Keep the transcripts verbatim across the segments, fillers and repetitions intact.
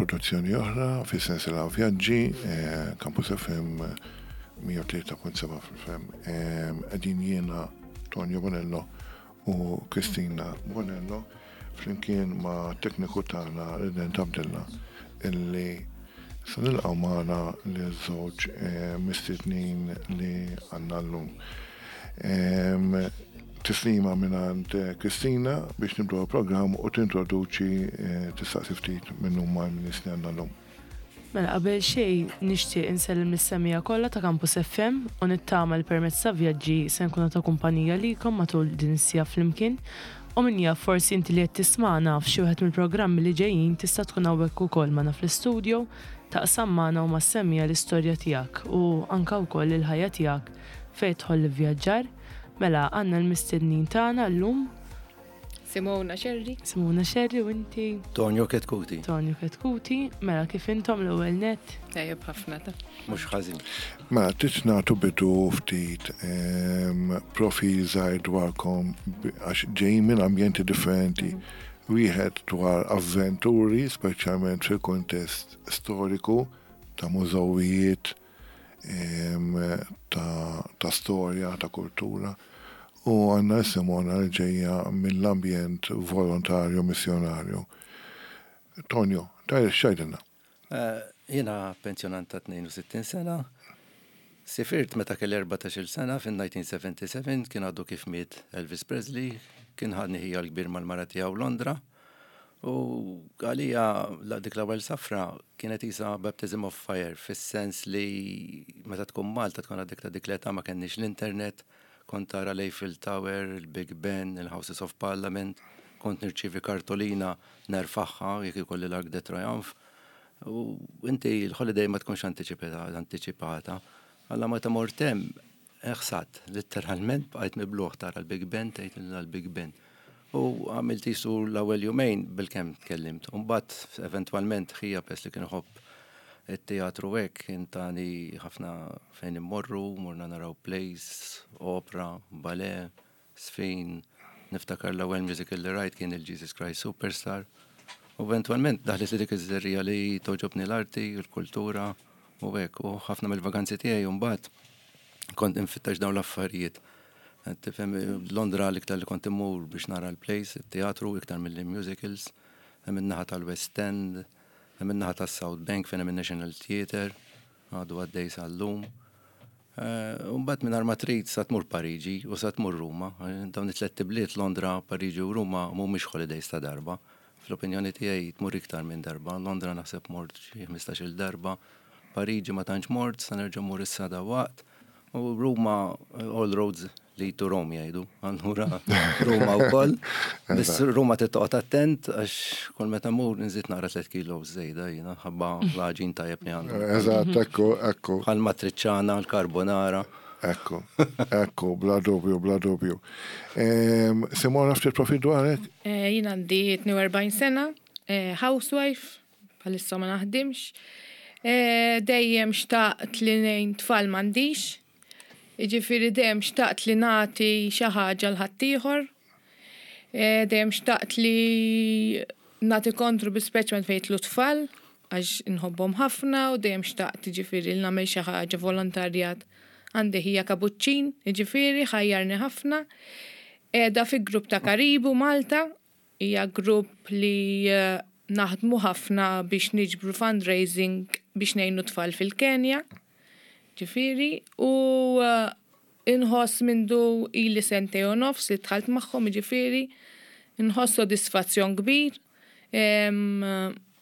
Produzzjoni oħra fi sensiela vjaġġi, eh, Campus F M mija u tlieta punt seba' fil-F M. Qegħdin jiena, Tonio Bonello, u Kristina Bonello flimkien ma' tekniku tagħna Redent Abdilla, illi se nilqgħu magħna li żewġ eh, mistednin li għandna llum. Em, Tislima mingħand Kristina biex nibdu l-programm u tintroduċi, eh, tistaqsi ftit minn huma l-nies li għandna llum. Mela, qabel xejn nixtieq insellem lis-semmiegħa kollha ta' Campus F M u nittama li permezz ta' vjaġġi se nkunu ta' kumpanija likom matul din is-siegħa flimkien. U min jaf, forsi inti li qed tismagħna f'xi wieħed mill-programmi li ġejjin tista' tkun hawnhekk ukoll magħna fl-istudio, taqsam magħna u mas-semmiegħa l-istorja tiegħek u anka wkoll il-ħajja tiegħek fejn tidħol l-vjaġġar. Mela, għandna l-mistednin tagħna llum. Simona Scerri. Simona Scerri, u inti? Tonio Ketkuti. Tonio Ketkuti. Mela, kif intom l-ewwel net? Tajjeb ħafna ta. Mhux ħażin. Mela, trid nagħtu bidu ftit em, profil żgħir dwarkom bi- għax ġejjin minn ambjenti differenti. Wieħed dwar avventuri, speċjalment fil-kontest storiku ta' mużewijiet, em, ta', ta' storja, ta' kultura. U għandna Simona li ġejja mill-ambjent volontarju missjonarju. Tonio, tajr x'tgħidilna? Eh, Jiena pensjonant ta' tnejn u sittin sena. Sifirt meta kelli erbatax-il sena fin-elf disa' mija u sebgħa u sebgħin, kien għadu kif miet Elvis Presley, kien ħadni ħija l-kbir mal-mara tiegħu Londra. U għalija la dik l-ewwel safra kienet isa baptism of fire, fis-sens li meta tkun Malta, tkun għadek ta' dik l-età, ma kenniex l-internet, kont tara l-Eiffel Tower, il-Big Ben, il-Houses of Parliament, kont nirċivi kartolina nerfagħha jekk ikolli l-Arc de Triomphe. U inti l-holiday ma tkunx anticipata, anticipata. Alla meta mort hemm, ħsat, letteralment bqajt mibluħ, tara l-Big Ben, tgħid l-Big Ben. U għamilt jisu l-ewwel jumejn bilkemm tkellimt. U mbagħad eventwalment ħija, pers li kien iħobb it-teatru hekk, kien tani ħafna fejn immorru, morna naraw plays, opera, ballet, żfin, niftakar l-ewwel musical li rajt kien il-Jesus Christ Superstar. U eventwalment daħlet li dik iż-żerriegħa li togħġobni l-arti, l-kultura u hekk, u ħafna mill-vaganzi tiegħi mbagħad kont infittax dawn l-affarijiet. Tifhem, Londra l-iktar li kont immur biex nara l-plays, il-teatru, iktar mill-musicals, hemm in-naħa tal-West End, hemm in-naħa tas-South Bank fejn hemm il-National Theatre, għadu għaddej sal-lum. U mbagħad minn ma trid sa tmur Pariġi u sa tmur Ruma. Eh, Dawn it-tliet bliet, Londra, Pariġi u Ruma, mhumiex holidays ta' darba. Fl-opinjoni tiegħi tmur iktar minn darba. Londra naħseb mort xi ħmistax-il darba. Pariġi ma tantx mort, sa nerġa' mur issa dawaqt. U Ruma, all roads lead to Rome jgħidu. Allura Ruma wkoll. Biss Ruma trid toqgħod attent għax kull meta mur nżid naqra tliet kilo żejda jiena ħabba l-għaġin tajjeb li għandu. Eżatt, ekku, ekku. Bħal matriciana, l-carbonara. Ekku, ekku, bla dubju, bla dubju. Em, Simona, ftit profil dwarek? Eh, Jien għandi tnejn u erbgħin sena, eh, housewife, bħalissa ma naħdimx. Eh, Dejjem xtaqt li ngħin tfal, m'għandix. Jiġifieri dejjem xtaqt li nagħti xi ħaġa 'l ħaddieħor. Eh, Dejjem xtaqt li nagħti kontribut, speċjalment fejn jidħlu tfal, għax inħobbhom ħafna u dejjem xtaqt jiġifieri li nagħmel xi ħaġa volontarjat. Għandi ħija kabuċċin, jiġifieri ħajjarni ħafna. Qiegħda fi grupp ta' Karibu Malta, hija grupp li eh, naħdmu ħafna biex niġbru fundraising biex ngħinu tfal fil-Kenja. Ġifieri, u eh, inħoss mindu ili sentejn u nofs li dħalt magħhom, ġifieri, inħoss sodisfazzjon kbir. Em,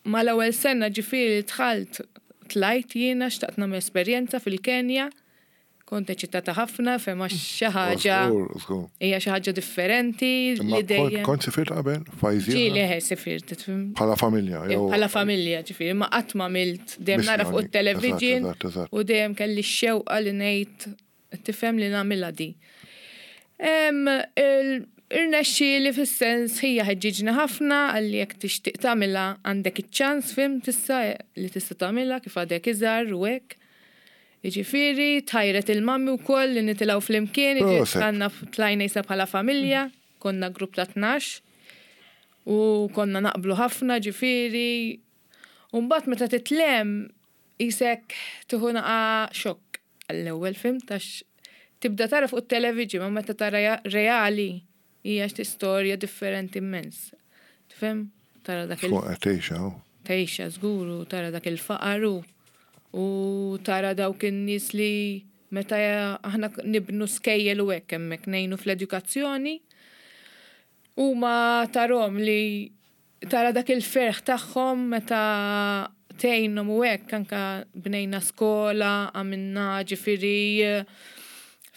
Ma l-ewwel sena ġifieri li dħalt, tlajt jiena, xtaqt nagħmel esperjenza fil-Kenja. Kont eċitata ħafna, fema xi ħaġa Żgur, żgur. Hija xi ħaġa differenti Imma li dejjem. kont sifirt qabel? Fajzi? Ġieli eħe sifirt, tifhem. Bħala familja, jew? Bħala familja, ġifieri, ma qatt ma għamilt, dejjem nara fuq Missjoni. il-television Eżatt, eżatt, eżatt. u dejjem kelli x-xewqa li ngħid, tifhem, li nagħmilha di. Em, il- Irnexxieli fis-sens ħija ħeġġiġni ħafna, għalli jekk tixtieq tagħmilha għandek iċ-ċans, fhimt, tista' li tista' tagħmilha kif għadek iżgħar u hekk. Jiġifieri, tħajret il-mummy wkoll li nitilgħu flimkien, Proset. għandna tlajna jisa bħala familja, konna grupp ta' tnax u konna naqblu ħafna, ġifieri, U mbagħad meta titlem isek tieħu naqa xokk għall-ewwel film tax tibda tara fuq it-television ma meta tara ja- reali hija xi storja differenti immens. Tifhem? Tara dak il Tkun qed tgħixha. oh. tgħixha żgur u tara dak il-faqar u u tara dawk in-nies li meta aħna nibnu skejjel u hekk hemmhekk ngħinu fl-edukazzjoni huma tarahom li tara dak il-ferħ tagħhom meta tgħinhom u hekk anka bnejna skola, għamilna ġifieri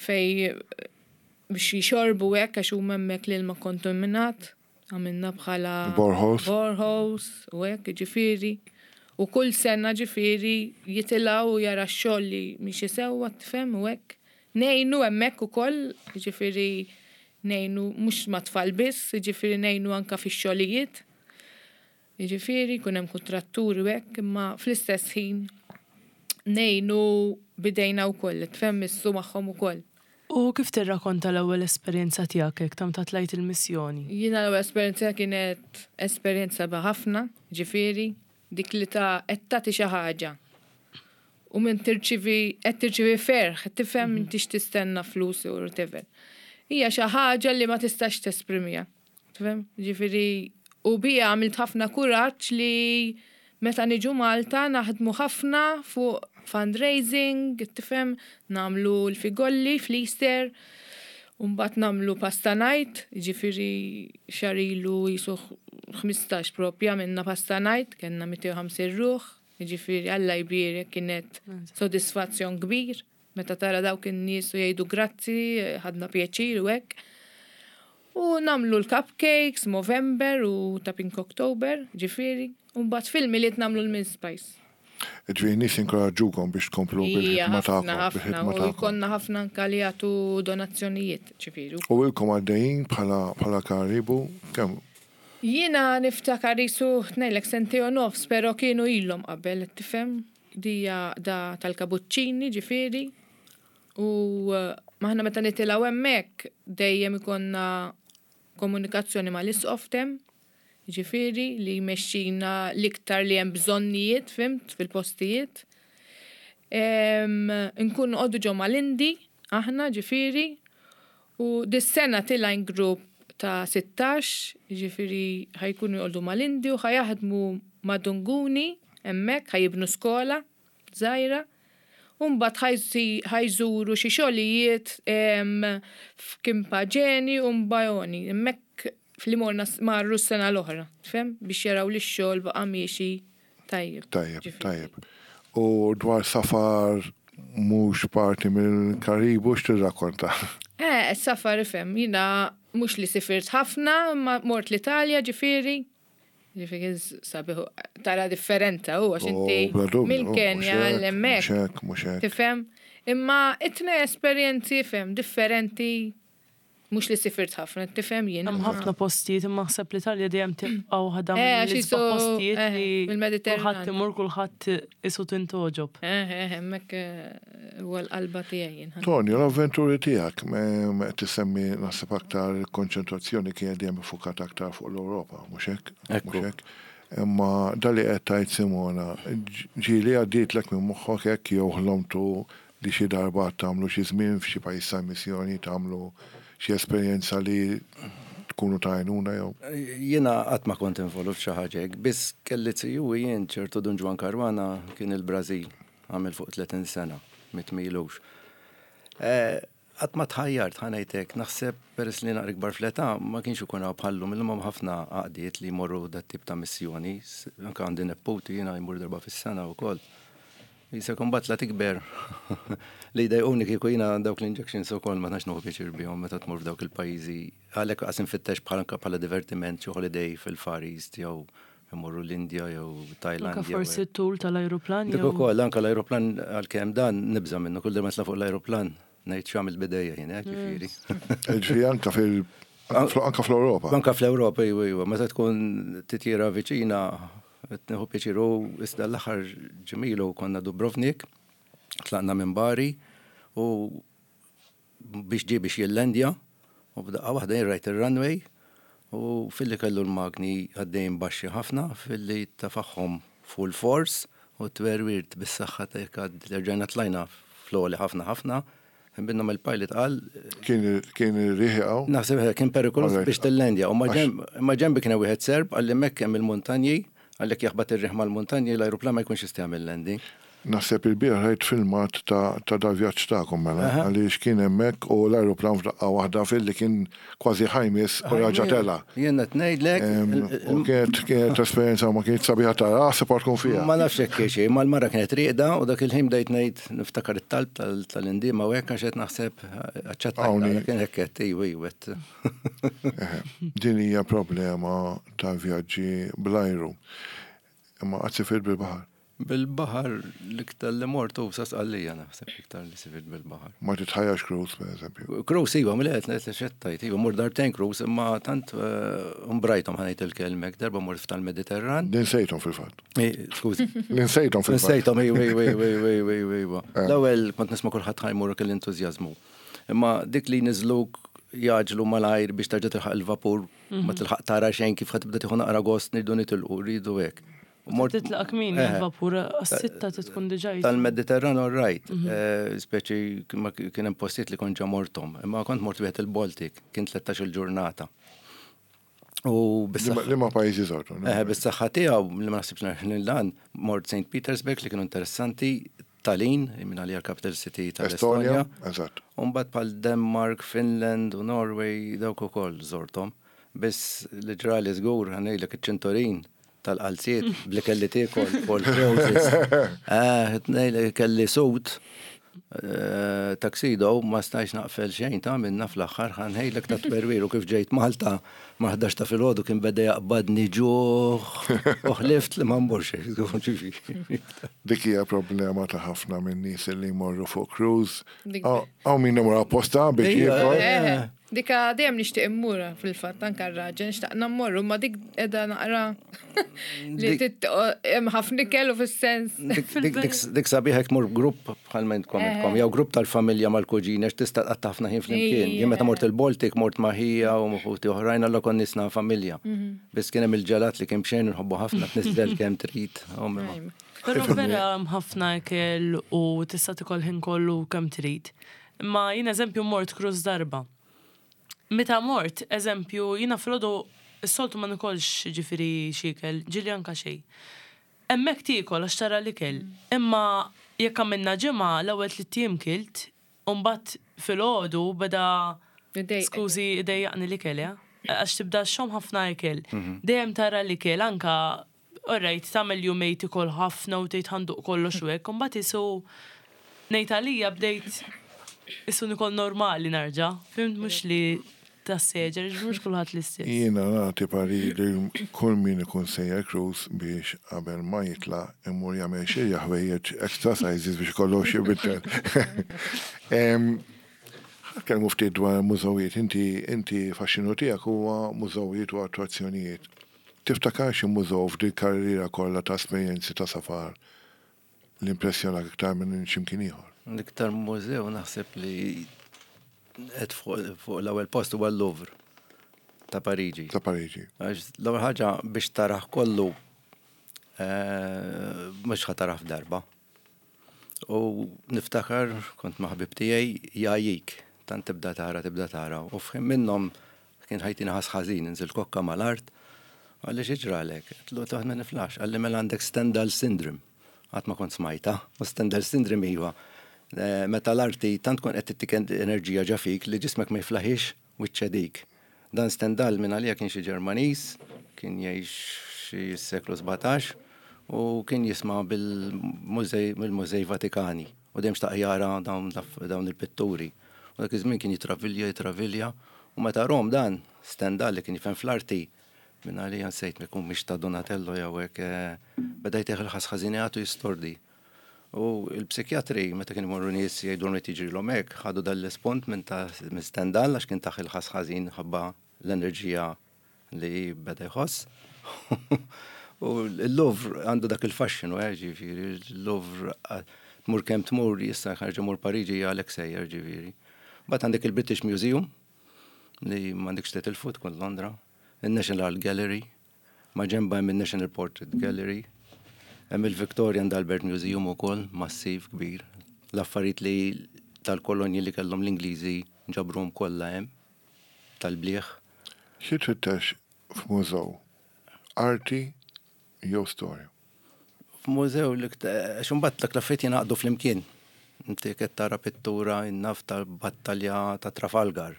fej biex jixorbu hekk għax huma hemmhekk l-ilma kontaminat, għamilna bħala Boreholes. boreholes u hekk ġifieri. U kull sena ġifieri jitilgħu u jara x-xogħol li miexi sewwa tifhem u hekk. Ngħinu hemmhekk ukoll, ġifieri ngħinu mhux ma' tfal biss, ġifieri ngħinu anka fix-xogħlijiet. Ġifieri jkun hemm kontratturi u hekk, imma fl-istess ħin ngħinu bidejna wkoll, tifhem missu magħhom ukoll. U kif tirrakkonta l-ewwel esperjenza tiegħek hekk ta' tlajt il-missjoni? Jiena l-ewwel esperjenza kienet esperjenza ħafna, ġifieri, dik li ta' qed tagħti xi ħaġa. U minn tirċivi qed tirċivi ferħ, tifhem m'intix tistenna flus u whatever. Hija xi ħaġa li ma tistax tesprimiha. Tifhem? Ġifieri u bija għamilt ħafna kuraġġ li meta niġu Malta naħdmu ħafna fuq fundraising, tifhem, nagħmlu l-figolli fl-Easter, Umbat nagħmlu pasta night, ġifieri xahar ilu jisu ħmistax propja minna pasta night, kellna mitejn u ħamsin ruħ, ġifieri Alla jbierek kienet sodisfazzjon kbir, meta tara dawk in-nies u jgħidu grazzi, ħadna pjaċir u hekk. U nagħmlu l-cupcakes, Movember u ta' Pink October, ġifieri, u mbagħad fil-Milied nagħmlu l-mince pies. Ġifieri nies inkoraġġukom biex tkomplu Ija, bil-ħidma ħafna, tagħkom. ħafna, Bil-ħidma u tagħkom. jkollna ħafna anka li jagħtu donazzjonijiet, ġifieri. U ilkom għaddejjin bħala bħala Karibu, kemm Jiena niftakar jisu ngħidlek sentejn u nofs, pero kienu ilhom qabel, tifhem? Dija da tal-kabuċċini ġifieri. U eh, maħna meta nitilgħu hemmhekk dejjem ikonna komunikazzjoni mal-isqof tem, ġifieri li jmexxina l-iktar li hemm bżonnijiet, fhimt, fil-postijiet. Em, Nkun noqogħdu ġo mal-Indi, aħna ġifieri, u dis-sena tilajn grupp ta' sittax, ġifieri ħa jkunu joqogħdu mal-Indi u ħa jaħdmu ma' Dunguni, hemmhekk, ħa jibnu skola, żgħira. Umbat ħa jżuru xi xogħlijiet em, f'Kipaġeni u Mbajoni. Hemmhekk fli morna marru s-sena l-oħra, fhimt? Biex jaraw li x-xogħol baqa' miexi tajjeb. Tajjeb, Ġifieri. tajjeb. U dwar safar mhux parti mill-Karibu x'tirrakkonta? Eh, safar ifhem, jiena mhux li sifirt ħafna, ma mort l-Italja ġifieri. Ġifieri sabiħu, tara differenta u għax inti Oh, bla dubju, mill-Kenja mhux hekk, l-hemmhekk. Mhux hekk, mhux hekk. Tifhem? Imma it-tnejn esperjenzi ifhem differenti mhux li sifirt ħafna, tifhem jien. Hemm ħafna postijiet imma naħseb l-Italja dejjem tibqa' waħda Eh, għax mill-isbaħ jisu- postijiet eh, li mill-Mediterran. kulħadd imur kulħadd isu tintogħġob. Eh, eh, hemmhekk eh, huwa l-qalba tiegħi jien. Tonio, l-avventuri tiegħek, me tissemmi naħseb aktar konċentrazzjoni kienet dejjem iffukata aktar fuq l-Ewropa, mhux hekk? Ekku. Mhux hekk? Imma dali qed tgħid Simona, ġieli għaddietlek minn moħħok hekk jew ħlomtu li xi darba tagħmlu xi żmien f'xi pajjiż ta' missjoni tagħmlu xi esperjenza li tkunu ta' għajnuna jew. Jiena qatt ma kont involut f'xi ħaġa hekk, biss kelli ziju jien ċertu Dun Ġwann Caruana kien il-Brażil, għamel fuq tletin sena, miet m'ilux. Qatt ma tħajjart ħa ngħidlek, naħseb peress li naqra ikbar fl-età ma kienx ikun hawn bħallum illum hemm ħafna għaqdiet li jmorru dat tip ta' missjoni, s- anke għandi neputi jiena jmur darba fis-sena wkoll. Jisek imbagħad la tikber li jdejquni kieku jiena dawk l-injections ukoll ma tantx nieħu pjaċir bihom meta tmur f'dawk il-pajjiżi. Għalhekk qas infittex bħala anke bħala divertiment xi holiday fil-Far East jew imorru l-Indja jew Thailand. Anka jew forsi t-tul tal-ajruplan Dik jew ukoll anke l-ajruplan għalkemm dan nibża' minnu kull darba nitla' fuq l-ajruplan ngħid x'għamilt bidejja jien hekk ġifieri. Ġifieri anka fil anka fl-Ewropa. Anka fl-Ewropa iwa iwa, meta tkun titjira viċina qed nieħu pjaċir u iżda l-aħħar ġimilu konna Dubrovnik, tlaqna minn Bari u biex ġie biex jillendja u b'daqqa waħda jien rajt ir-runway u filli kellu l-magni għaddejn baxxi ħafna filli tefagħhom Full force u twerwirt bis-saħħa ta' rġajna tlajna fl-għoli ħafna ħafna. Minnhom il-pilot qal Kien kien ir-riħ hawn? Naħseb kien perikoluż Alright. biex tillendja. U ma ġembi kien hemm wieħed Serb qalli hemmhekk hemm il-muntanji, għalhekk jaħbat ir-riħ mal-muntanji, l-ajruplan ma jkunx jista' jagħmel landing. Naħseb il-bieraħ rajt filmat ta' ta' dal-vjaġġ tagħkom mela, għaliex kien hemmhekk u l-ajruplan f'daqqa waħda fil-li kien kważi ħa jmiss u raġa tela'. Jien qed ngħidlek, Em, U kienet kienet esperjenza ma kienet sabiħa ta' aħseb tkun fiha. Ma nafx hekk xi, ma l-mara kienet rieqda u dak il-ħin bdejt ngħid niftakar it-talb tal- tal-indiema u hekk għax qed naħseb aċċettajt Hawnhi. kien hekk qed iwa iwa. Eħe, din hija problema ta' vjaġġi bl-ajru. Imma qatt sifirt bil-baħar. Bil-baħar l-iktar li mort u sa Sqallija naħseb iktar li sifirt bil-baħar. Ma titħajjax cruise, per eżempju. Cruise iva, mill qed ngħid li xettajt, iva mort darbtejn cruise, imma tant eh, umbrajthom ħa ngħid il-kelmek, darba mort tal-Mediterran. Ninsejthom fil-fatt. Eh, Skużi. Ninsejthom fil-fatt. Nsejthom, iwa, iwa, iwa, iwa, iwa, iwa, iwa. L-ewwel kont nisma' kulħadd ħa jmur kell entużjażmu. Imma dik li niżluk jgħaġġlu malajr biex terġa' tilħaq il-vapur, ma tilħaq tara xejn kif ħa tibda tieħu naqra gost nridu nitilqu, rridu hekk. U mort- Titlaq kmieni Eh, il-vapur, għas-sitta tkun diġà. Tal-Mediterran all right, eh, speċi ma kien hemm postijiet li kont ġa morthom, imma kont mort wieħed il-Baltic, kien tlettax-il ġurnata. U bis-saħħa Liema pajjiżi żortu? Eh, bis-saħħa tiegħu li ma naħsibx li dan mort Saint Petersburg li kienu interessanti, Tallinn, minn għalija capital city Estonja, tal-Estonja. eżatt. Umbagħad bħal Denmark, Finland u Norway dawk ukoll żorthom. Biss li ġrali żgur ħa ngħidlek iċ-ċintorin tal-qalziet bli kelli tiekol for cruises. Eh, ngħidlek kelli suit eh, tuxedo ma stajx naqfel xejn ta' minna fl-aħħar ħa ngħidlek ta' twerwir u kif ġejt Malta ma ħdax ta' filgħodu kien beda jaqbadni ġuħ u ħlift li ma mmurx. Dik hija problema ta' ħafna minn nies li jmorru fuq cruise. Dik- Hawn min imur apposta biex Ija, jiekol. Eh, Dika dejjem nixtieq immur fil-fatt anke r-raġel nixtaqna mmorru ma dik qiegħda naqra li Dik- tit- hemm ħafna ikel u fis-sens. Dik- dik- dik- Dik sabiħ hekk mur grupp bħal ma intkom intkom, jew grupp tal-familja mal-kuġina, għax tista' tqatta' ħafna ħin flimkien. Jien meta mort il-Baltic mort ma' ħija u ħuti oħrajn alla konna nisna familja. Biss kien hemm il-ġelat li kien bxejn nħobbu ħafna tniżel kemm trid. Ommi ma. Però vera hemm ħafna ikel u tista' tikol ħin kollu kemm trid. Imma jien eżempju mort cruise darba. Meta mort, eżempju, jiena filgħodu s-soltu ma nikolx ġifieri xi ikel, ġieli anka xejn. Hemmhekk tiekol għax tara l-ikel. Imma jekk għamilna ġimgħa l-ewwel tliet ijiem kilt, u mbagħad filgħodu beda Idejqek. skużi idejjaqni l-ikel, ja? Għax tibda xom ħafna ikel. Dejjem tara l-ikel anka alright, tagħmel jumejn tikol ħafna u tgħid ħa nduq kollox u hekk, u mbagħad isu ngħid għalija bdejt isu nikol normali nerġa'. Fhimt mhux li tas-seġer, mhux kulħadd l-istess. Jiena nagħti parir li kull min ikun sejjer cruise biex qabel ma jitla' imur jagħmel xi ħwejjeġ extra sizes biex kollox jibiddel. Ħa nitkellmu ftit dwar mużewijiet. Inti inti faxxinu tiegħek huwa mużewijiet u attrazzjonijiet. Tiftakar xi mużew f'dil karriera kollha ta' esperjenzi ta' safar li impressjonak iktar minn x'imkien ieħor? L-iktar mużew naħseb li qed fuq fuq l-ewwel post huwa l-Louvre ta' Pariġi. Ta' Pariġi. Għax l-ewwel ħaġa biex taraħ kollu eh, mhux ħa taraħ f'darba. U niftakar kont ma' ħabib tiegħi jgħajjik, tant tibda tara, tibda tara. U f'ħin minnhom kien ħa jtini ħass ħażin, inżil kokka mal-art, qalli x'ġralek, għedtlu taħt ma niflaħx, qalli mela għandek Stendhal syndrome. Qatt ma kont smajta, u Stendhal syndrome iva. Eh, Meta l-arti tant tkun qed tittik enerġija ġa fik li ġismek ma jiflaħix u ċċedik. Dan Stendhal minn għalija kien xi Ġermaniż, kien jgħix xi seklu sbatax u kien jisma' bil-mużej mill-Mużej Vatikani u dejjem xtaq jara dawn l- dawn il-pitturi. U dak iż-żmien kien jitravilja, jitravilja u meta rom dan Stendhal li kien jifhem fl-arti minn għalija nsejt ma jkun mhix ta' Donatello jew hekk eh, beda jtih il-ħass ħażin jagħtu jistordi. U il-psikjatri, meta kienu jmorru nies jgħidulhom li tiġrilhom hekk, ħadu dal-ispont minn ta' minn Stendhal għax kien tah il-ħass ħażin ħabba l-enerġija li beda jħoss. U l-Louvre għandu dak il-fascinu, eh, ġifieri, il-Louvre eh, tmur kemm tmur, issa ħarġa mur Pariġi għalek sejjer, ġifieri. Mbagħad għandek il-British Museum, li m'għandekx titilfu tkun Londra, il-National Art Gallery, ma ġemba hemm il-National Portrait Gallery. Hemm il-Victoria and Albert Museum ukoll, massiv kbir. L-affarijiet li tal-kolonji li kellhom l-Ingliżi ġabruhom kollha hemm tal-bliħ. Xi tfittex f'mużew? Arti jew storja? F'mużew li għax imbagħad dak l-affarijiet jingħaqdu flimkien. Inti qed tara pittura naf tal-battalja ta' Trafalgar,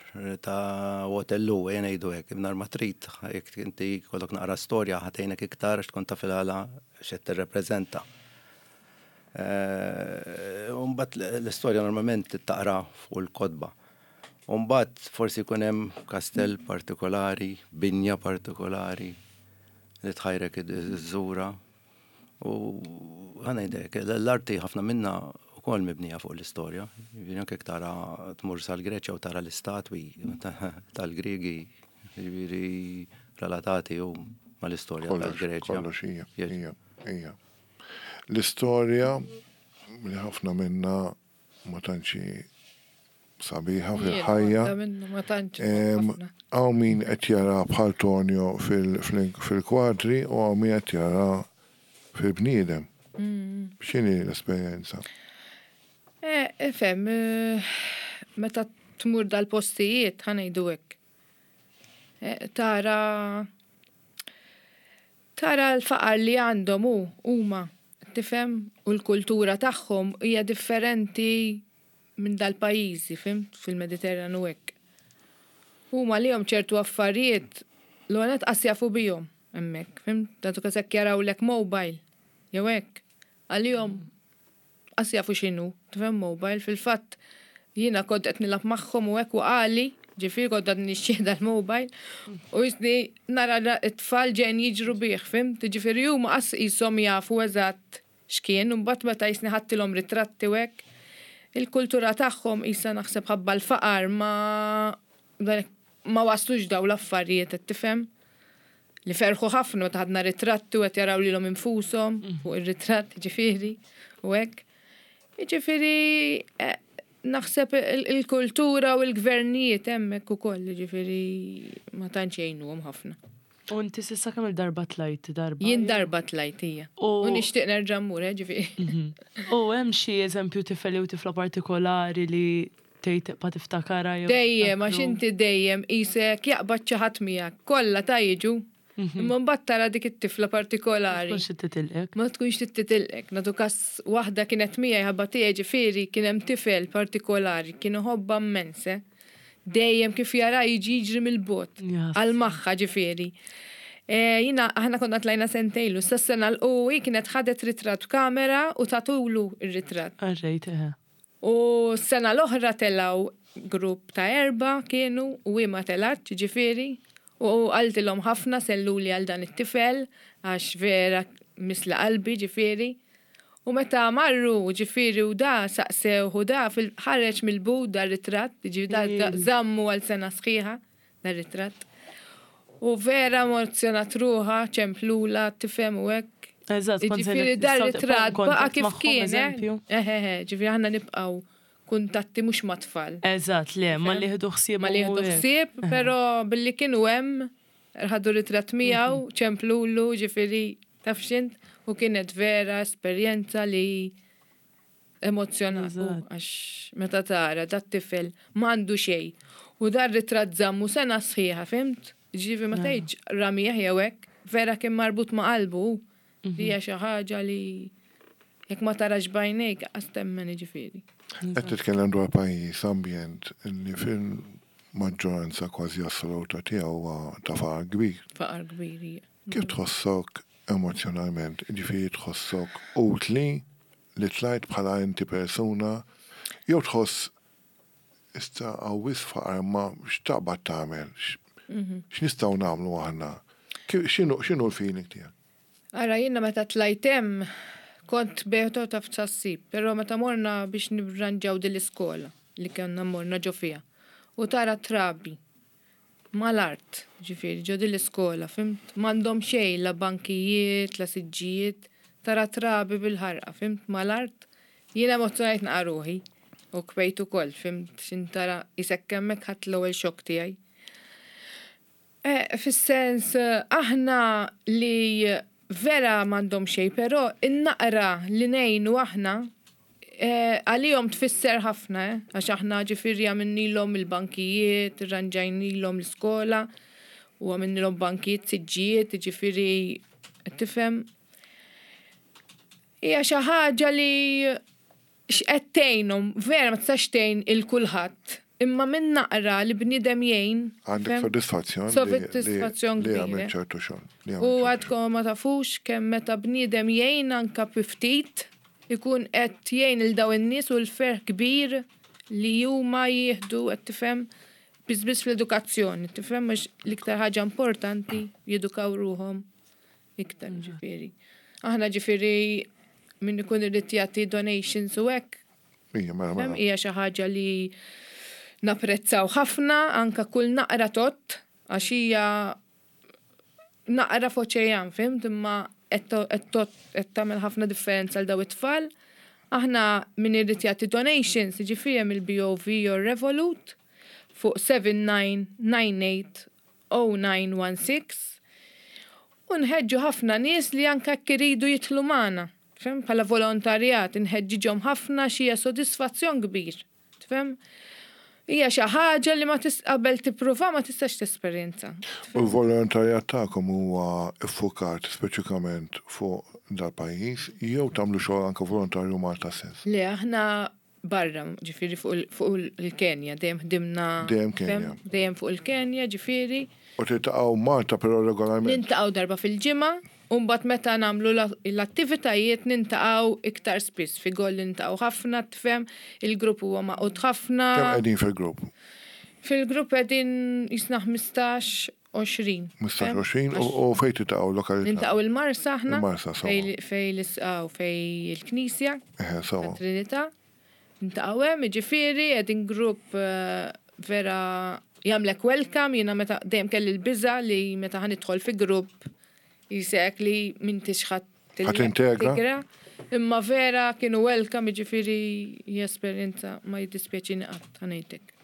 ta' Waterloo, ejja ngħidu hekk, mingħajr ma trid, jekk inti jkollok naqra storja ħa tgħinek iktar għax tkun taf il-għala x'qed tirrepreżenta. U mbagħad l-istorja normalment taqra fuq il-kotba. U mbagħad forsi jkun hemm kastell partikolari, binja partikolari li tħajrek iżżura. U ħa ngħidlek, l-arti ħafna minna ukoll mibnija fuq l-istorja. Jiġifieri anke jekk tara tmur sal-Greċja u tara l-istatwi tal-Griegi, jiġifieri relatati u mal-istorja tal-Greċja. Kollox hija, hija, hija. L-istorja li ħafna minna ma tantx sabiħa fil-ħajja. Ma tantx. Hawn min qed jara bħal Tonio fil-kwadri u hawn min qed jara fil-bniedem. X'inhi l-esperjenza? Eh, fem, meta tmur dal-postijiet, ħa ngħidu hekk. Tara tara l-faqar li għandhom u huma, tifhem, u l-kultura tagħhom hija differenti minn dal-pajjiżi, fhimt, fil-Mediterran u hekk. Huma li ċertu affarijiet l-għonet qas jafu bihom hemmhekk, fhimt, datu kasek jarawlek mobile, jew hekk, għalihom qas jafu x'inhu, tifhem mobile, fil-fatt jiena kont qed nilgħab magħhom u hekk waqali, ġifieri kont qed nixxieħda l-mobile, u jisni nara t-tfal ġejn jiġru bih, fhimt, ġifieri huma qas qishom jafu eżatt x'kien, u mbagħad meta jisni ħadtilhom ritratti u hekk, il-kultura tagħhom qisha naħseb ħabba l-faqar ma ma waslux daw l-affarijiet qed tifhem. Li ferħu ħafna meta ħadna ritratti u qed jaraw lilhom infushom fuq ir-ritratt, ġifieri, u hekk. Ġifieri naħseb il-kultura u l-gvernijiet hemmhekk ukoll, ġifieri ma tantx jgħinuhom ħafna. U inti s'issa kemm il-darba tlajt darba? Jien darba tlajt hija. U nixtieq nerġa' mmur, ġifieri. U hemm xi eżempju tifel jew tifla partikolari li tgħid tibqa' tiftakara jew Dejjem, għax inti dejjem qisek jaqbad xi ħadd miegħek, kollha ta' jiġu. Imma mbagħad tara dik it-tifla partikolari. Ma tkunx titilqek. Ma tkunx titilqek. Nagħtu kas waħda kienet miegħi ħabba tiegħi ġifieri kien hemm tifel partikolari, kien iħobbha immens. Dejjem kif jara jiġi jiġri mill-bot. Għal magħha ġifieri. Jina, aħna konna tlajna sentejlu, sa sena l-u kienet ħadet ritratt b'kamera u tatulu ir-ritratt. Għarrejt, eħe. U s-sena l-oħra telaw grupp ta' erba kienu u ma telatx ġifieri. U qaltilhom ħafna selluli għal dan it-tifel għax vera misla qalbi ġifieri. U meta marru ġifieri u da saqsew u da fil-ħareġ mill-bud da ritratt, ġifieri da żammu għal sena sħiħa da ritratt. U vera emozzjonat ruħa, ċemplula, tifhem u hekk. Eżatt, Ġifieri da ritratt baqa' kif kien. Eħe, ġifieri aħna nibqgħu kuntatti mhux ma' tfal. Eżatt, le, ma li ħdu ħsieb. Ma li ħdu ħsieb, però billi kienu hemm ħadu ritratt miegħu, ċemplulu, ġifieri taf x'int, u kienet vera esperjenza li emozzjonat. Għax meta tara dat tifel m'għandu xejn. U dar ritratt żammu sena sħiħa, fhimt? Ġifieri ma tgħidx ramih jew hekk, vera kien marbut ma' qalbu. Hija xi ħaġa li jekk ma tarax b'għajnejk qas temmen ġifieri. Qed titkellem dwar pajjiż ambjent li fil-maġġoranza kważi assoluta tiegħu huwa ta' faqar kbir. Faqar kbir hija. Kif tħossok emozjonalment? Ġifieri tħossok utli li tlajt bħala inti persuna jew tħoss issa hawn faqar ma x'taqbad tagħmel? X'nistgħu nagħmlu aħna? X'inhu l-feeling tiegħek? Ara, jiena meta tlajt hemm kont beħtu ta' f'tsassib, però meta morna biex nirranġaw din l-iskola li kellna morna ġo fiha. U tara trabi mal-art, ġifieri, ġo din l-iskola, fhimt? M'għandhom xejn la bankijiet, la siġġijiet, tara trabi bil-ħarqa, fhimt? Mal-art. Jiena emozzjonajt naqa' ruħi u kbejt ukoll, fhimt? X'intara isek hemmhekk ħadd l-ewwel xokk tiegħi. Fis-sens, aħna li Vera m'għandhom xejn, però in-naqra li ngħinu aħna eh, għalihom tfisser ħafna, eh, għax aħna ġifieri għamilnilhom il-bankijiet, irranġajnilhom l-iskola, u għamilnilhom bankijiet, siġġijiet, ġifieri tifhem. Hija xi ħaġa li x'qed tgħinhom, vera ma tistax tgħin il kulħadd, imma minn naqra li bniedem jgħin. Għandek fem? soddisfazzjon li- Soddisfazzjon li kbira. għamilt ċertu xogħol. li U għamilt ċertu għadkom ma tafux kemm meta bniedem jgħin anka bi ftit ikun qed jgħin il daw in-nies u l-ferħ kbir li huma jieħdu qed tifhem biss biss fl-edukazzjoni, tifhem għax l-iktar ħaġa importanti jedukaw ruhom iktar ġifieri. Aħna ġifieri min ikun irid jagħti donations u hekk xogħol. Ija, mela, Fem, mela. hija xi ħaġa li napprezzaw ħafna anka kull naqra tot għax hija naqra f'oċean, fimt, imma qed qed tot- qed tagħmel ħafna differenza għal daw it-tfal. Aħna min irid jagħti donations, jiġifieri hemm il-B O V jew Revolut fuq sebgħa tnejn tnejn tmiem zero tnejn wieħed sitta u nħeġġu ħafna nies li anka jekk iridu jidħlu magħna. Fem, bħala volontarjat, nħeġġiġhom ħafna xi sodisfazzjon kbir. Tifhem? Hija xi ħaġa li ma tis qabel tippruva ma tistax tesperjenza. U l-volontarjat tagħkom huwa iffukat speċifikament fuq dal-pajjiż jew tagħmlu xogħol anke volontarju Malta stess? Le, aħna barra, ġifieri fuq il- fuq il-Kenja, dejjem ħdimna. Dejjem Kenja. Fem? Dejjem fuq il-Kenja, ġifieri. U tiltaqgħu Malta però regolarment. Niltaqgħu darba fil-ġimgħa, u mbagħad meta nagħmlu la- l-attivitajiet niltaqgħu iktar spiss. Fi goll niltaqgħu ħafna, tifhem, il-grupp huwa magħqud ħafna. Kemm qegħdin fil-grupp? Fil-grupp qegħdin jisna ħmistax, għoxrin. ħmistax għoxrin u u fejn tiltaqgħu lokalità? Niltaqgħu il-Marsa aħna. Il-Marsa, sewwa. Fej fej l-isqaw fej il-Knisja, Eħe, sewwa. Trinità. Niltaqgħu hemm, jiġifieri qegħdin grupp eh, vera jagħmlek welcome, jiena meta dejjem kelli l-biża li meta ħa nidħol fi grupp jisek li m'intix ħadd Ħa tintegra. Imma vera kienu welcome, jiġifieri hija esperjenza ma jiddispjaċini qatt ħa ngħidlek.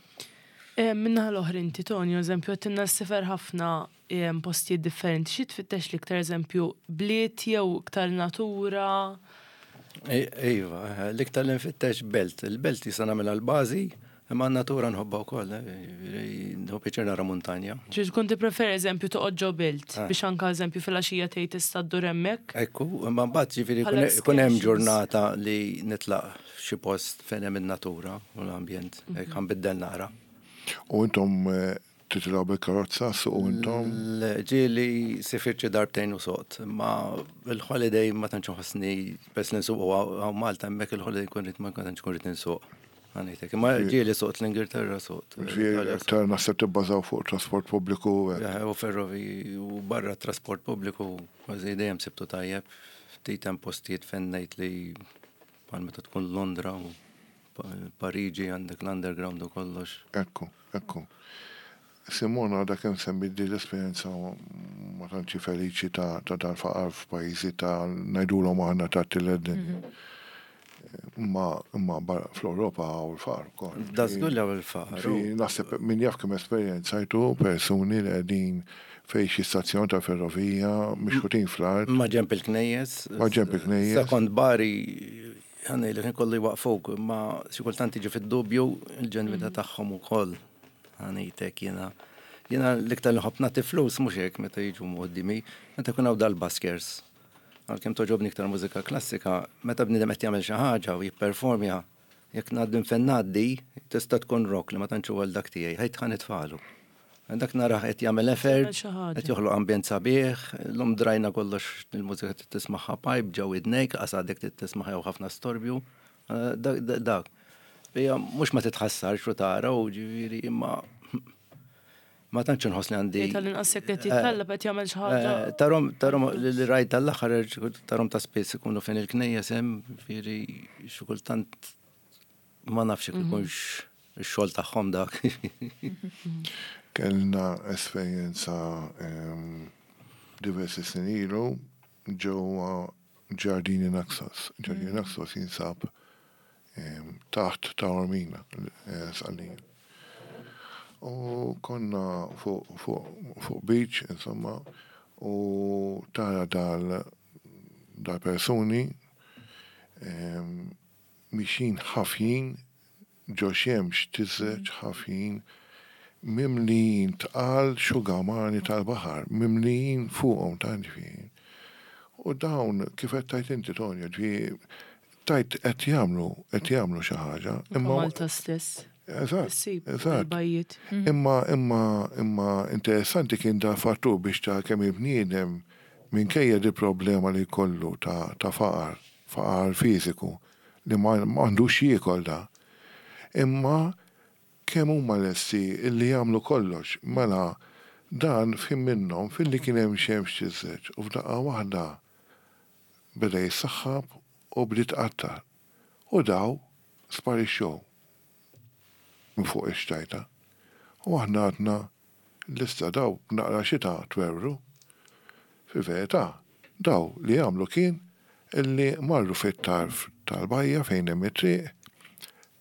Eh, Min-naħa l-oħra inti, Tonio, eżempju, għedtilna ssiefer ħafna eh, postijiet differenti. Xi tfittex l-iktar, eżempju, bliet jew iktar natura? Iva, l-iktar li nfittex belt. Il-belt jisa nagħmilha l-bażi, imma n-natura nħobbha wkoll. eh, Nħobb pjaċir nara muntanja. Ġi tkun tippreferi, eżempju, toqgħod ġo belt Ah. biex anka, eżempju, filgħaxija tgħid tista' ddur hemmhekk? Ekku, imma mbagħad ġifieri Bħala ikun hemm excursions. ġurnata li nitlaq f'xi post fejn hemm in-natura u l-ambjent, hekk ħa nbiddel nara. U intom eh, titilgħu bil-karozza, suqu intom? Ġieli sifirt xi darbtejn u soqt, ma il-holiday ma tantx nħossni bes li nsuq hawn Malta hemmhekk il-holiday kun rid ma tantx kun rid insuq. Ħa ngħidlek. Imma ġieli soqt l-Ingilterra soqt. Ġifieri aktar naħseb tibbażaw fuq trasport pubbliku. eh, Eh, U ferrovi u barra trasport pubbliku kważi dejjem sibtu tajjeb. Ftit hemm postijiet fejn ngħid li bħal meta tkun Londra u Pa- Pariġi għandek l-underground u kollox. Ekku, ekku. Simona għadha kemm semmi di l-esperjenza ma tantx feliċi ta' ta' dal-faqar f'pajjiżi ta' ngħidulhom aħna ta' tielet dinja. Imma imma barra fl-Ewropa hawn il-faqar ukoll. Da żgur li hawn il-faqar. Fi naħseb min jaf kemm esperjenzajtu persuni li qegħdin fejn xi stazzjon ta' ferrovija mixħutin fl-art. Ma ġemp il-knejjes. Ma ġemp il-knejjes. Sekond Bari, ħanni li kien kollu jwaqfuk, ma xi kultant jiġi fid-dubju il-ġenwità tagħhom ukoll. Ħa ngħidlek jiena. Jiena l-iktar li nħobb nagħti flus mhux hekk meta jiġu qudiemi, meta jkun hawn dal-buskers. Għalkemm togħġobni iktar mużika klassika, meta bniedem qed jagħmel xi ħaġa u jipperformja, jekk ngħaddi fejn ngħaddi, tista' tkun rock li ma tantx huwa dak tiegħi, ħajt ħa nitfagħlu. Dak narah qed jagħmel effort, xi ħaġa. qed joħloq ambjent sabiħ, l-lum drajna kollox il-mużika trid tismagħha pipe ġew idnejk, qas għadek trid tismagħha jew ħafna storbju. Eh, Dak dak- dak. Hija mhux ma titħassarx u tara u ġifieri imma ma tantx inħoss li għandi. Tal-inqas jekk qed jittallab qed jagħmel xi ħaġa. Eh, Tarom, tarom li rajt tal-aħħar tarom ta' spiss ikunu fejn il-knejjes hemm, ġifieri xi kultant ma nafx jekk ikunx ix-xogħol tagħhom dak. Kellna esperjenza em, diversi snin ilu ġewwa Ġardini Naxos. Ġardini Naxos jinsab em, taħt Taormina, eh, Sqallija. U konna fuq fuq fuq beach, insomma, u tara dal dal-persuni mixjin ħafjin ġo xemx tiżreġ ħafjin mimlijin tqal xugamani tal-baħar, mimlijin fuqhom ta' ġifieri. U dawn kif qed tajt inti Tonja, ġifieri tajt qed jagħmlu qed jagħmlu xi ħaġa. Imma Malta stess. Eżatt. Eżatt. Imma imma imma interessanti kien da fattur biex ta' kemm il-bniedem minkejja di problema li jkollu ta' ta' faqar, faqar fiżiku, li ma għandux jiekol da. Imma kemm huma lesti illi jagħmlu kollox, mela dan f'ħin minnhom filli kien hemm xemx tiżreġ u f'daqqa waħda beda jissaħħab u bdiet tqattar. U daw sparixxew minn fuq ix-xtajta. U aħna għadna l-issa daw naqra xita twerwru. Fil-verità, daw li għamlu kien illi marru fit-tarf tal-bajja fejn hemm it-triq,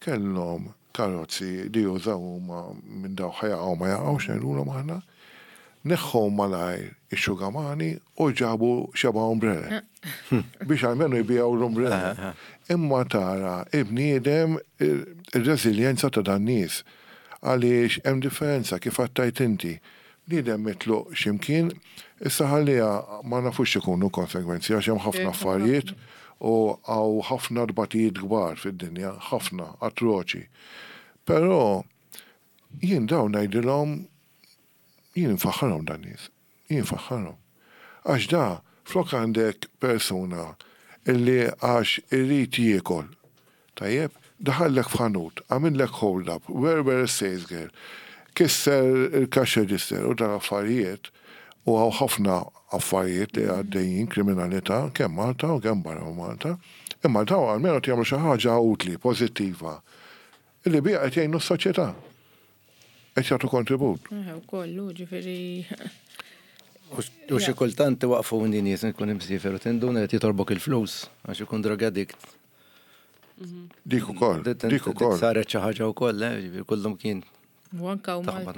kellhom karozzi li jużaw huma minn daw ħa jaqgħu ma jaqgħux ngħidulhom aħna, neħħu malajr ix-xugamani u ġabu xeba umbrella. Biex almenu jbijaw l-umbrella. Imma tara il-bniedem ir-reżiljenza ta' dan nies. Għaliex hemm differenza kif għattajt inti. Bniedem mitluq x'imkien, issa ħalliha ma nafux x'ikunu konsegwenzi għax hemm ħafna affarijiet u hawn ħafna tbatijiet kbar fid-dinja, ħafna atroċi. Però jien dawn ngħidilhom jien nfaħħarhom dan nies, jien nfaħħarhom. Għax da flok għandek persuna illi għax irid jiekol, tajjeb, daħallek f'ħanut, għamillek hold up, werwer sales girl, kisser il-cash register u dan affarijiet, u hawn ħafna affarijiet li għaddejjin kriminalità kemm Malta u kemm barra Malta, imma daw almenu jagħmlu xi ħaġa utli, pożittiva, illi biha qed jgħinu s-soċjetà. Qed jagħtu kontribut. Kollu, ġifieri. U xi kultant waqfuni nies nkun imsiefer u tinduna qed jitolbok il-flus għax ikun drug addict. Dik ukoll, dik ukoll. Saret xi ħaġa wkoll, eh, ġifieri kollhom kien. U anka u Malta.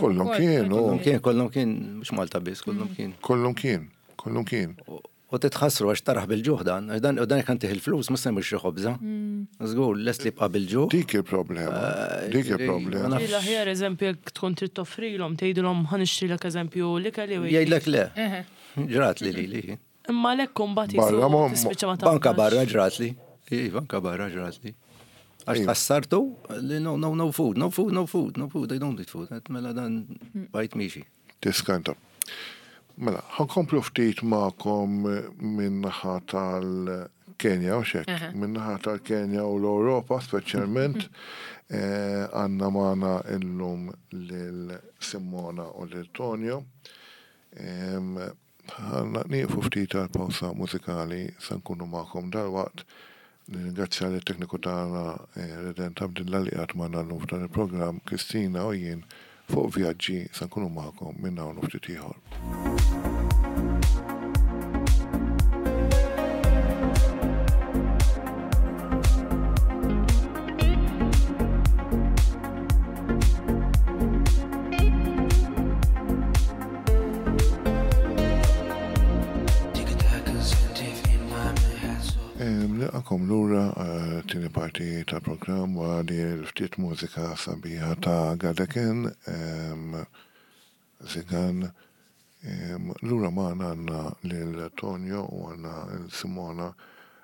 Kollhom kien, kollhom kien, kollhom kien, mhux Malta biss, kollhom kien. Kollhom kien, kollhom kien. U titħassru għax taraħ bil-ġuħ dan, għax dan u dan jekk antih il-flus mhux se jmur xi ħobża. Żgur, lest li jibqa' bil-ġuħ. Dik il-problema, dik il-problema. L-aħjar eżempju jekk tkun trid toffrilhom, tgħidilhom ħa nixtrilek eżempju l-ikel jew Jgħidlek le. Ġrat li li li. Imma lek kumbat tispiċċa ma Banka barra ġrat li. Banka barra ġrat li. Għax tħassartu li no, no, no food, no food, no food, no food, I don't eat food. Mela dan bajt miexi. Tiskanta. Mela, ħankomplu ftit magħkom min-naħa tal-Kenja u xek, min-naħa tal-Kenja u l-Ewropa speċjalment, għandna magħna illum lil Simona u lil Tonio. Ħanna nieqfu ftit għal pawsa mużikali se nkunu magħkom dalwaqt. Nirringrazzja lit-tekniku tagħna Redent Abdilla li qiegħed magħna llum f'dan il-programm, Kristina u jien fuq vjaġġi se nkunu magħkom minn hawn u ftit ieħor. Nilqakom lura tieni parti tal-programm wara li l-ftit mużika sabiħa ta' Gadeken, Zigan. Lura magħna għandna lil Tonio u għandna lil Simona.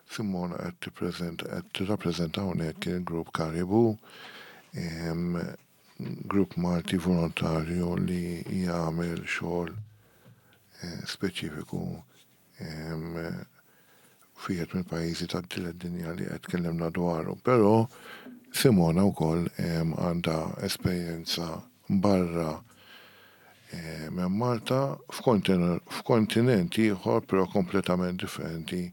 Simona qed tippreżenta qed tirrappreżenta hawnhekk il-grupp Karibu, grupp Malti volontarju li jagħmel xogħol speċifiku fijet mill-pajjiżi tat-tielet dinja li qed tkellimna dwaru. Però Simona wkoll għandha esperjenza barra minn Malta f'kontinent ieħor però kompletament differenti,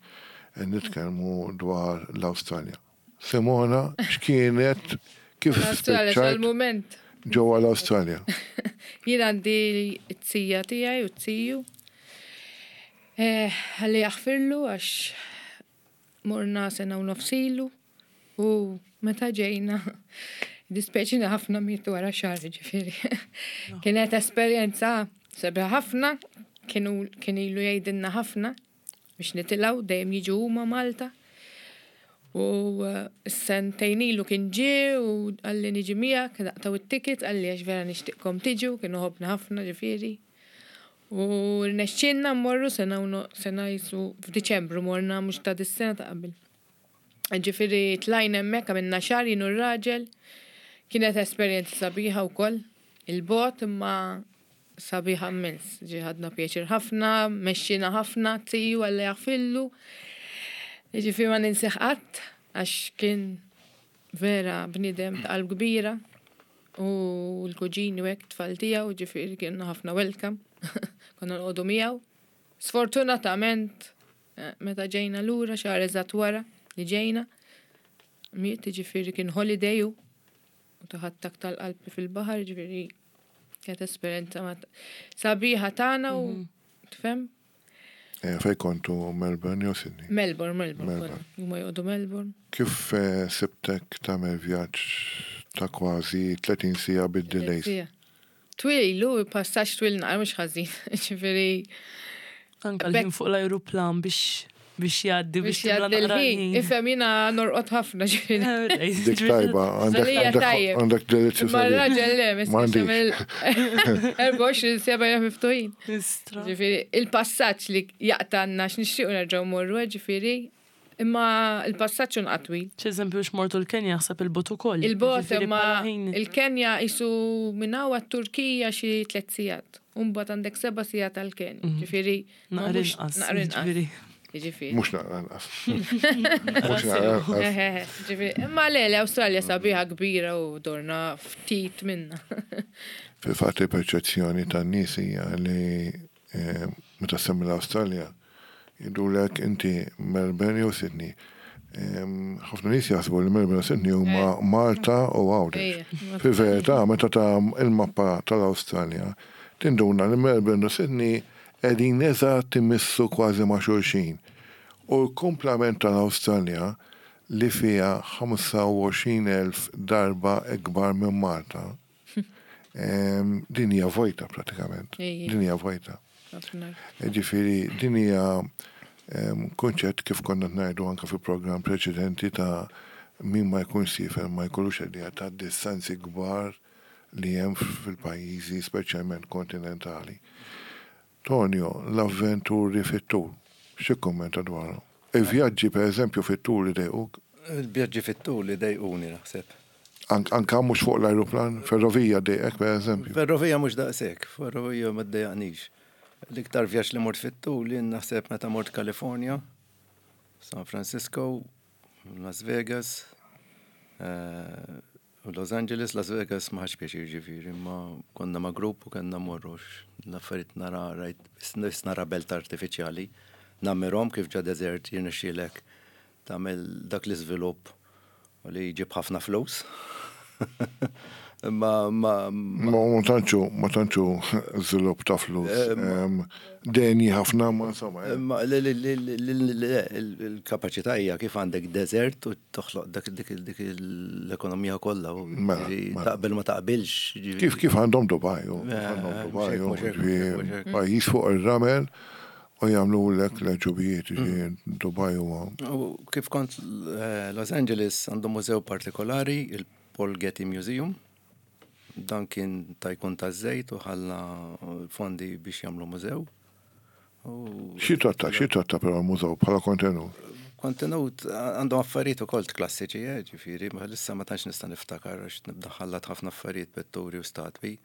nitkellmu dwar l-Awstralja. Simona, x'kienet kif spiċċajt mument ġewwa l-Awstralja? Jien għandi t-tija tiegħi u t-tiju. Ħalli jaħfirlu għax morna sena u nofsilu u meta ġejna dispeċina ħafna mietu wara xahar, ġifieri. Kienet esperjenza sabiħa ħafna, kienu kien ilu jgħidilna ħafna biex nitilgħu, dejjem jiġu huma Malta. U eh, sentejn ilu kien ġie u qalli niġi miegħek, naqtgħu it-ticket, qalli għax vera nixtieqkom tiġu, kienu ħobna ħafna ġifieri. U rnexxielna mmorru sena u no- sena jisu f'Diċembru morna, mhux ta' dis-sena, ta' qabel. Ġifieri tlajna hemmhekk, għamilna xahar jien u r-raġel. Kienet esperjenza sabiħa wkoll. Il-bot imma sabiħa immens. Ġi ħadna pjaċir ħafna, mexxina ħafna, tiju Alla jaħfirlu. Ġifieri ma ninsieh qatt, għax kien vera bniedem ta' qalb kbira. U l-kuġini u hekk, tfal tiegħu, ġifieri kienu ħafna welcome. Konna noqogħdu miegħu. Sfortunatament, eh, meta ġejna lura, xahar eżatt wara li ġejna, miet, ġifieri kien holiday u u tah attakk tal-qalb fil-baħar, ġifieri kienet esperjenza ma sabiħa tagħna u tifhem? Eh, Fej kontu, Melbourne jew Sydney? Melbourne, Melbourne. Melbourne. Konna. Huma joqogħdu Melbourne. Kif eh, sibtek tagħmel vjaġġ ta' kważi tletin siegħa bid-delays? Sija. Twil, lu, passaġġ twil naqra mhux ħażin. Ġifieri Anka l-ħin fuq l-ajruplan biex biex jgħaddi biex biex tibla jgħaddi naqra l-ħin. ħin. Ifhem, jiena norqod ħafna, ġifieri. Dik tajba, għandek Għalija għandek- tajjeb. għandek delizzju Ma sabiħ. r-raġel le, M'għandix. erbgħa u għoxrin siegħa jgħam miftuħin. Istra. Ġifieri, il-passaġġ li jaqtanna x'nixtiequ nerġgħu morru, ġifieri, imma il-passaġġ un twil. Eżempju, x'mortu l-Kenja, ħsab il-bot ukoll. Il-bot Ġifieri imma bħala ħin. il-Kenja jisu minn hawn għat-Turkija xi tliet sigħat. Umbagħad għandek seba' sigħat għal-Kenja. Ġifieri, ma Naqra mhux- inqas. Naqra inqas. Ġifieri. Ġifieri. Mhux naqra inqas. Mhux naqra inqas. Eħe, ġifieri, imma le, l-Awstralja sabiħa kbira u dorna ftit minna. Fil-fatt il-perċezzjoni tan-nies hija li eh, meta semmi l-Awstralja jgħidulek inti Melbourne jew Sydney. Em, Ħafna nies jaħsbu li Melbourne u Sydney huma Malta u Għawdex. Ejja. Fil-verità, meta ta' il-mappa tal-Awstralja, tinduna li Melbourne u Sydney qegħdin eżatt imissu kważi ma' xulxin. U l-kumplament tal-Awstralja, li fija ħamsa u għoxrin elf darba ikbar minn Malta, em, din hija vojta pratikament. Ejja. Din hija vojta. Ħafna. Ġifieri, din hija em, kunċett kif konna ngħidu anka fil-programm preċedenti ta' min ma jkunx siefer ma jkollux idea ta' distanzi kbar li hemm fil-pajjiżi, speċjalment kontinentali. Tonio, l-avventuri fit-tul, xi kummenta dwarhom? Il-vjaġġi, per eżempju, fit-tul idejquk? Il-vjaġġi fit-tul idejquni, naħseb. Ank- Anka mhux fuq l-ajruplan, ferrovija dejqek, per eżempju? Ferrovija mhux daqshekk, ferrovija ma ddejjaqnix. L-iktar vjaġġ li mort fit-tul jien naħseb meta mort California, San Francisco, Las Vegas, eh, u Los Angeles. Las Vegas ma ħadx pjaċir ġifieri, ma konna ma' grupp u kellna morru l-affarijiet nara, rajt, biss nara belt artifiċjali. Nammirahom kif ġo desert jirnexxielek tagħmel dak l-iżvilupp u li jġib ħafna flus. Ma ma Ma ma tantxu, ma tantxu żvilupp ta' flus. Em, Deni ħafna, ma insomma. eh. Ma li- li- li- li- li- li- il-kapaċità hija kif għandek desert u toħloq dak dik dik l-ekonomija kollha u Mela, ġifieri mela. taqbel ma taqbilx. Ġifieri. Kif kif għandhom Dubai, u kif Eh, għandhom mhux Dubai, hekk, u mhux hekk, ġifieri mhux hekk. pajjiż fuq ir-ramel u jagħmlu lek l-ġubijiet, ġifieri Dubai huwa. U kif kont eh, Los Angeles, għandhom mużew partikolari, il-Paul Getty Museum. Dan kien tycoon ta' żejt u ħalla fondi biex jagħmlu mużew. U Xi tratta, xi tratta però l-mużew bħala kontenut? Kontenut għandhom affarijiet ukoll klassiċi, eh, ġifieri, ma issa ma tantx nista' niftakar għax nibda ħallat ħafna affarijiet, pitturi u statwi.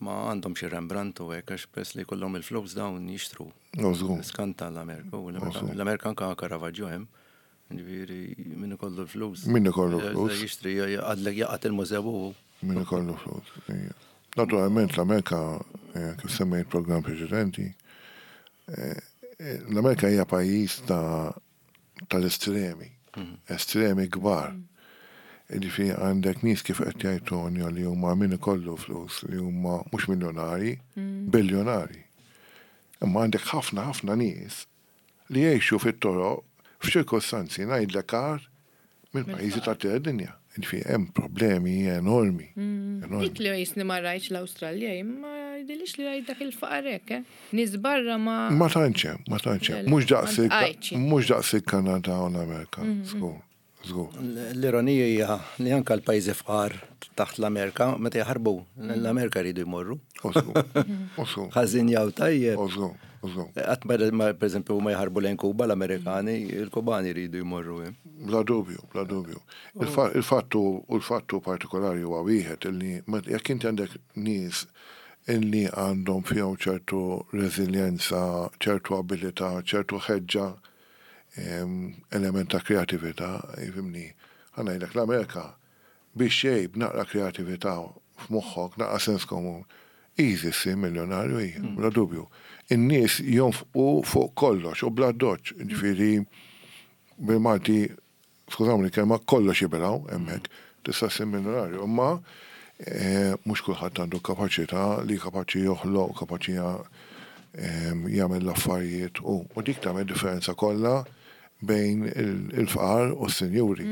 Ma għandhom xi Rembrandt u hekk, għax peress li kollhom il-flus dawn jixtru. No, żgur. Skanta l-Amerika u żgur. l-Amerika anka Caravaggio hemm. Ġifieri min ikollu l-flus. Min ikollu l-flus. Jixtri, għadlek jaqgħad il-mużew u Min ikollu flus. Ija. Naturalment l-Amerika, eh, kif semmejt program preċedenti, eh, eh, l-Amerika hija pajjiż ta' tal-estremi, estremi kbar. Ġifieri għandek nies, kif qed jgħid Tonio, li huma min ikollu flus, li huma mhux miljonari, biljonari. Imma għandek ħafna ħafna nies li jgħixu fit-toroq f'ċirkostanzi ngħidlek agħar minn pajjiżi ta' dinja. Ġifieri hemm problemi enormi. Enormi. Dik li jisni ma rajtx l-Awstralja, imma jidhirlix li rajt dak il-faqar hekk, eh? Nies barra ma. Ma tantx hemm, ma tantx hemm. Le, Mhux daqs ma ntqajtx. mhux daqs il-Kanada u l-Amerika. Żgur, żgur. L-ironija hija li anka l-pajjiżi fqar taħt l-Amerika meta jaħarbu, l-Amerika jridu jmorru. U żgur, u żgur, Ħażin jew tajjeb. u żgur, u żgur. Qatt ma per eżempju ma jaħarbu lejn Kuba l-Amerikani, il-Kubani jridu jmorru hemm. Bla dubju, bla dubju. Il-fa- Il-fattu u l-fattu partikolari huwa wieħed illi ma- jekk inti għandek nies illi għandhom fihom ċertu reżiljenza, ċertu abilità, ċertu ħeġġa, em, element ta' kreatività, jifhimni, ħa ngħidlek l-Amerika biex xej b'naqra kreatività f'moħħok, naqra sens komun, easy ssir miljonarju hija, bla dubju. In-nies jonfqu fuq kollox u bla doċ, ġifieri bil-Malti, skużawni kelma kollox jibilgħu hemmhekk, tista' ssir miljonarju, imma eh, mhux kulħadd għandu kapaċità li kapaċi joħloq, kapaċi ja- em, jagħmel l-affarijiet u u dik tagħmel differenza kollha bejn il- il-fqar u s-sinjuri.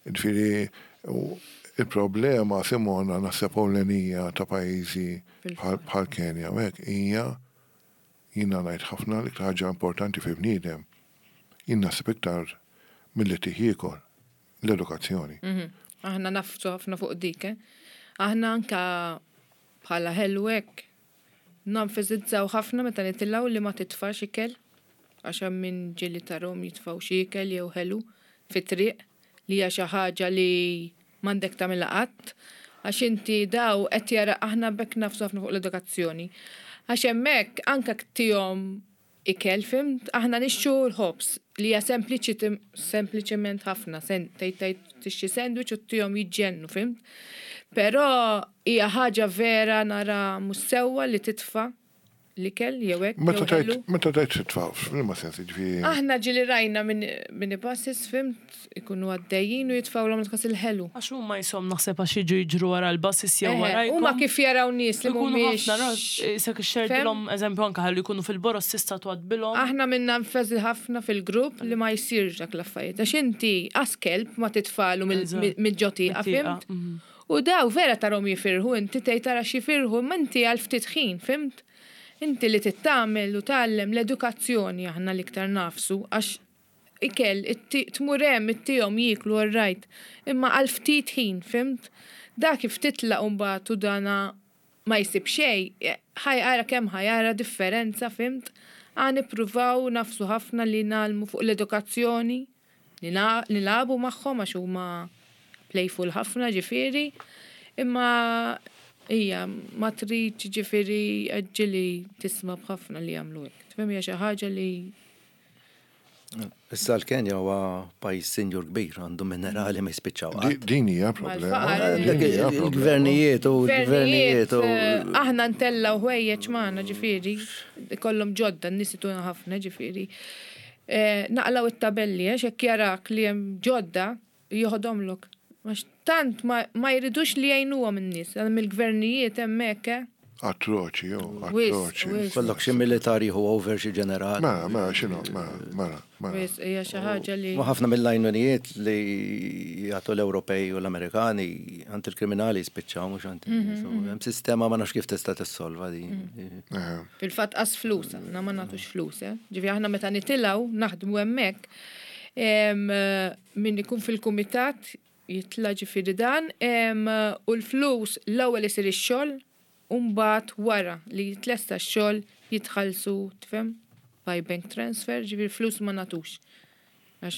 Ġifieri u il-problema Simona naħseb ewlenija ta' pajjiżi bħal bħal Kenja u hekk hija jiena ngħid ħafna l-iktar ħaġa importanti fi bniedem. Jien naħseb iktar milli tiekol l-edukazzjoni. Mhm. Aħna nagħfsu ħafna fuq dik, eh? Aħna anka bħala ħelu hekk nenfasizzaw ħafna meta nitilgħu li ma titfax ikel għax hemm min ġieli tarahom jitfgħu xi ikel jew ħelu fit-triq li hija xi ħaġa li m'għandek tagħmilha qatt għax inti daw qed jara aħna bekk nagħfsu ħafna fuq l-edukazzjoni. Għax hemmhekk anka ttihom ikel fhimt, aħna nixtru l-ħobż li hija sempliċi sempliċement ħafna, sen tgħid tgħid tixtri sandwich u ttihom jiġġennu, fhimt? Però hija ħaġa vera nara mhux sewwa li titfa' l-ikel jew hekk. Meta jew tajt, ħelu. meta tajt titfa' f'liema sens ġifieri. Aħna ġieli rajna minn minibuses, fhimt, ikunu għaddejjin u jitfgħulhom l il-ħelu. Għax huma jisom naħseb għax jiġu jiġru wara l-buses jew Eħe, wara. Huma kif jaraw nies li Ikunu mhumiex. ħafna ras, isek ixxerdilhom eżempju anke ħallu jkunu fil-boros tista' tgħaddilhom. Aħna minna nfeżi ħafna fil-grupp li ma jsirx dak l-affarijiet. Għax inti għas kelb ma titfagħlu Eżatt. mill-ġo tieqa, Mit-tieqa, fhimt? mhm. U daw vera tarahom jifirħu, inti tgħid tara x'jifirħu, ma inti għal ftit ħin, fhimt? Inti li tittamel u tgħallem l-edukazzjoni aħna l-iktar nagħfsu, għax ikel, itti- tmur hemm ittihom jieklu all right, imma għal ftit ħin, fhimt? Da kif titlaq mbagħad u dana ma jsib xejn, ħa jara kemm ħa jara differenza, fhimt? Ħa nippruvaw nagħfsu ħafna li ngħallmu fuq l-edukazzjoni, li na- nilagħbu magħhom għax huma playful ħafna ġifieri, imma hija ma trid ġifieri ġieli tisma' b'ħafna li jagħmlu hekk. Tifhem hija xi ħaġa li Issa l-Kenja huwa pajjiż sinjur kbir, għandu minerali ma jispiċċaw Di- qatt. Din hija problema. Mal-faqar. Din hija problema. Il-gvernijiet u l-gvernijiet u eh, aħna ntellgħu ħwejjeġ magħna ġifieri, kollhom ġodda, n-nies ituna ħafna ġifieri. Eh, Naqlaw it-tabelli, għax hekk jarak li hemm ġodda, joħodhomlok. Għax tant ma, ma jridux li jgħinuhom in-nies, hemm il-gvernijiet hemmhekk, eh. Atroċi, jo, Wis, atroċi. wis. Kollok xi militari hu over xi ġenerali. Mela, mela, x'inhu, mela, mela, mela. Wis, hija xi ħaġa li Ma ħafna mill-għajnunijiet li jagħtu l-Ewropej u l-Amerikani għand il-kriminali jispiċċaw mhux għand in-nies. U Hemm sistema ma nafx kif tista' tissolva din. Eh, Fil-fatt qas flus, aħna ma nagħtux flus, eh. Ġifieri aħna meta nitilgħu naħdmu hemmhekk, em, min ikun fil-kumitat jitla' ġifieri dan, em, u l-flus l-ewwel isir ix-xogħol, u mbagħad wara li jitlesta x-xogħol jitħallsu, tifhem, by bank transfer, ġifieri flus ma nagħtux. Għax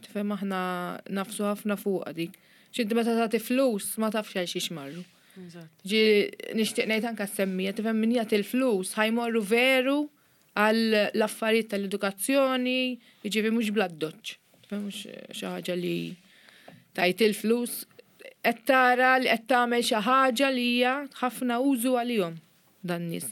tifhem aħna nagħfsu ħafna fuqha dik. X'inti meta tagħti flus ma tafx għal xiex marru. Ġi nixtieq ngħid anke semmija, tifhem min jagħti l-flus ħa jmorru veru għal l-affarijiet tal-edukazzjoni, jiġifieri mhux bla doċ. Tifhem mhux xi ħaġa li tajt il-flus qed tara li qed tagħmel xi ħaġa li hija ħafna użu għalihom dan nies.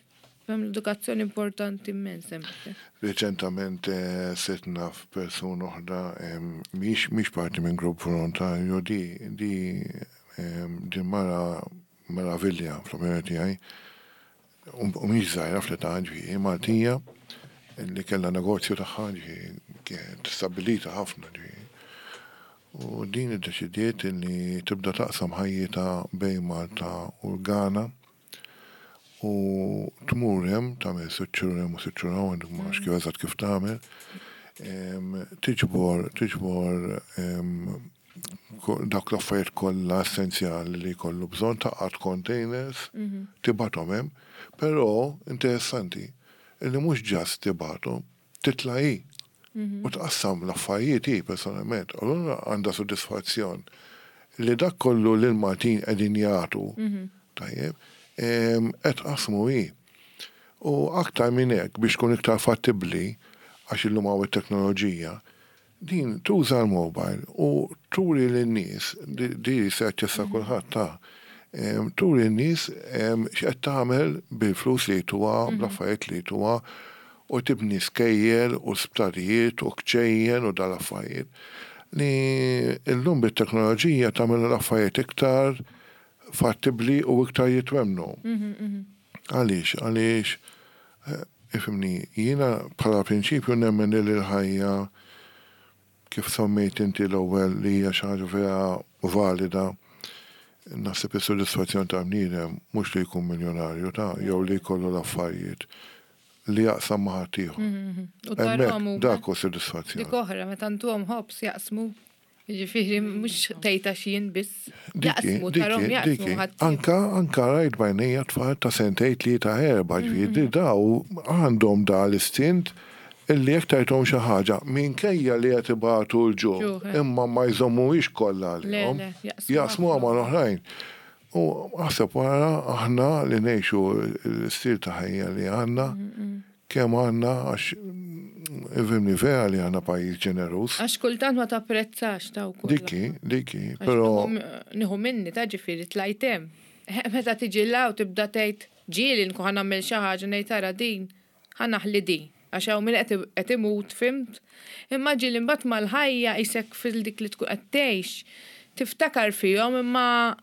Tifhem l-edukazzjoni importanti immens hemmhekk. Reċentament eh, sirt naf persuna oħra em, mhix mhix parti minn grupp volontarju di di em, di mara meravilja fl-opinjoni tiegħi u u mhix żgħira fl-età ġifieri Maltija li kellha negozju tagħha ġifieri kienet stabbilita ħafna ġifieri. U din iddeċidiet li tibda taqsam ħajjitha bejn Malta u l-Ghana u tmur hemm tagħmel sitt xhur hemm u sitt xhur hawn, ma nafx kif eżatt kif tagħmel. Em, Tiġbor, tiġbor em, ko- dak l-affarijiet kollha essenzjali li jkollu bżonn taqgħad containers, tibgħathom hemm, però interessanti illi mhux just tibgħathom, titla' hi u tqassam l-affarijiet hi personalment. Allura għandha soddisfazzjon li dak kollu li l-Maltin qegħdin jagħtu, tajjeb, em, qed qasmu hi. U aktar minn hekk biex tkun iktar fattibbli għax illum hawn it-teknoloġija, din tuża l-mobile u turi lin-nies, di di se jaċċessa kulħadd ta' em, turi n-nies em, x'qed tagħmel bil-flus li jtuha, bl-affarijiet li jtuha, u tibni skejjel u sptarijiet u kċejjen u dal-affarijiet li illum bit-teknoloġija tagħmel l-affarijiet iktar fattibbli u iktar jitwemnu. Għaliex, għaliex, eh, ifhimni, jiena bħala prinċipju nemmen li l-ħajja kif semmejt inti l-ewwel li hija xi ħaġa vera valida, naħseb is-sodisfazzjon ta' bniedem mhux li jkun miljonarju ta' jew li jkollu l-affarijiet li jaqsam ma' ħaddieħor. U tarahom Hemmhekk huma. dak hu sodisfazzjon. Dik oħra, meta ntuhom ħobż jaqsmu. Jiġifieri mhux tgħid għax jien biss. Diki, Jaqsmu, tarahom diki, jaqsmu diki. ħadd. Anka, anka rajt b'għajnejja tfal ta' sentejn tlieta erba' ġifieri daw għandhom da l-istint illi jekk tajthom xi ħaġa minkejja li qed ibatu l-ġuħ, Ġuħ, eh. imma ma jżommuhiex kollha Le, għalihom. le, jaqsmuha Jaqsmuha ma' l-oħrajn. U aħseb wara aħna li ngħixu l-istil ta' ħajja li għandna, kemm għandna għax ifhimni vera li għandna pajjiż ġeneruż. Għax kultant ma tapprezzax ta' wkoll. Diki, diki, Għax però nieħu- Nieħu minni ta' ġifieri tlajt hemm. Meta tiġi 'l hawn tibda tgħid ġieli nkun ħa nagħmel xi ħaġa ngħid tara din, ħa naħli din. Għax hawn min qed qed imut, fhimt? Imma ġieli mbagħad mal-ħajja isek fil-dik li tkun qed tgħix, tiftakar fihom imma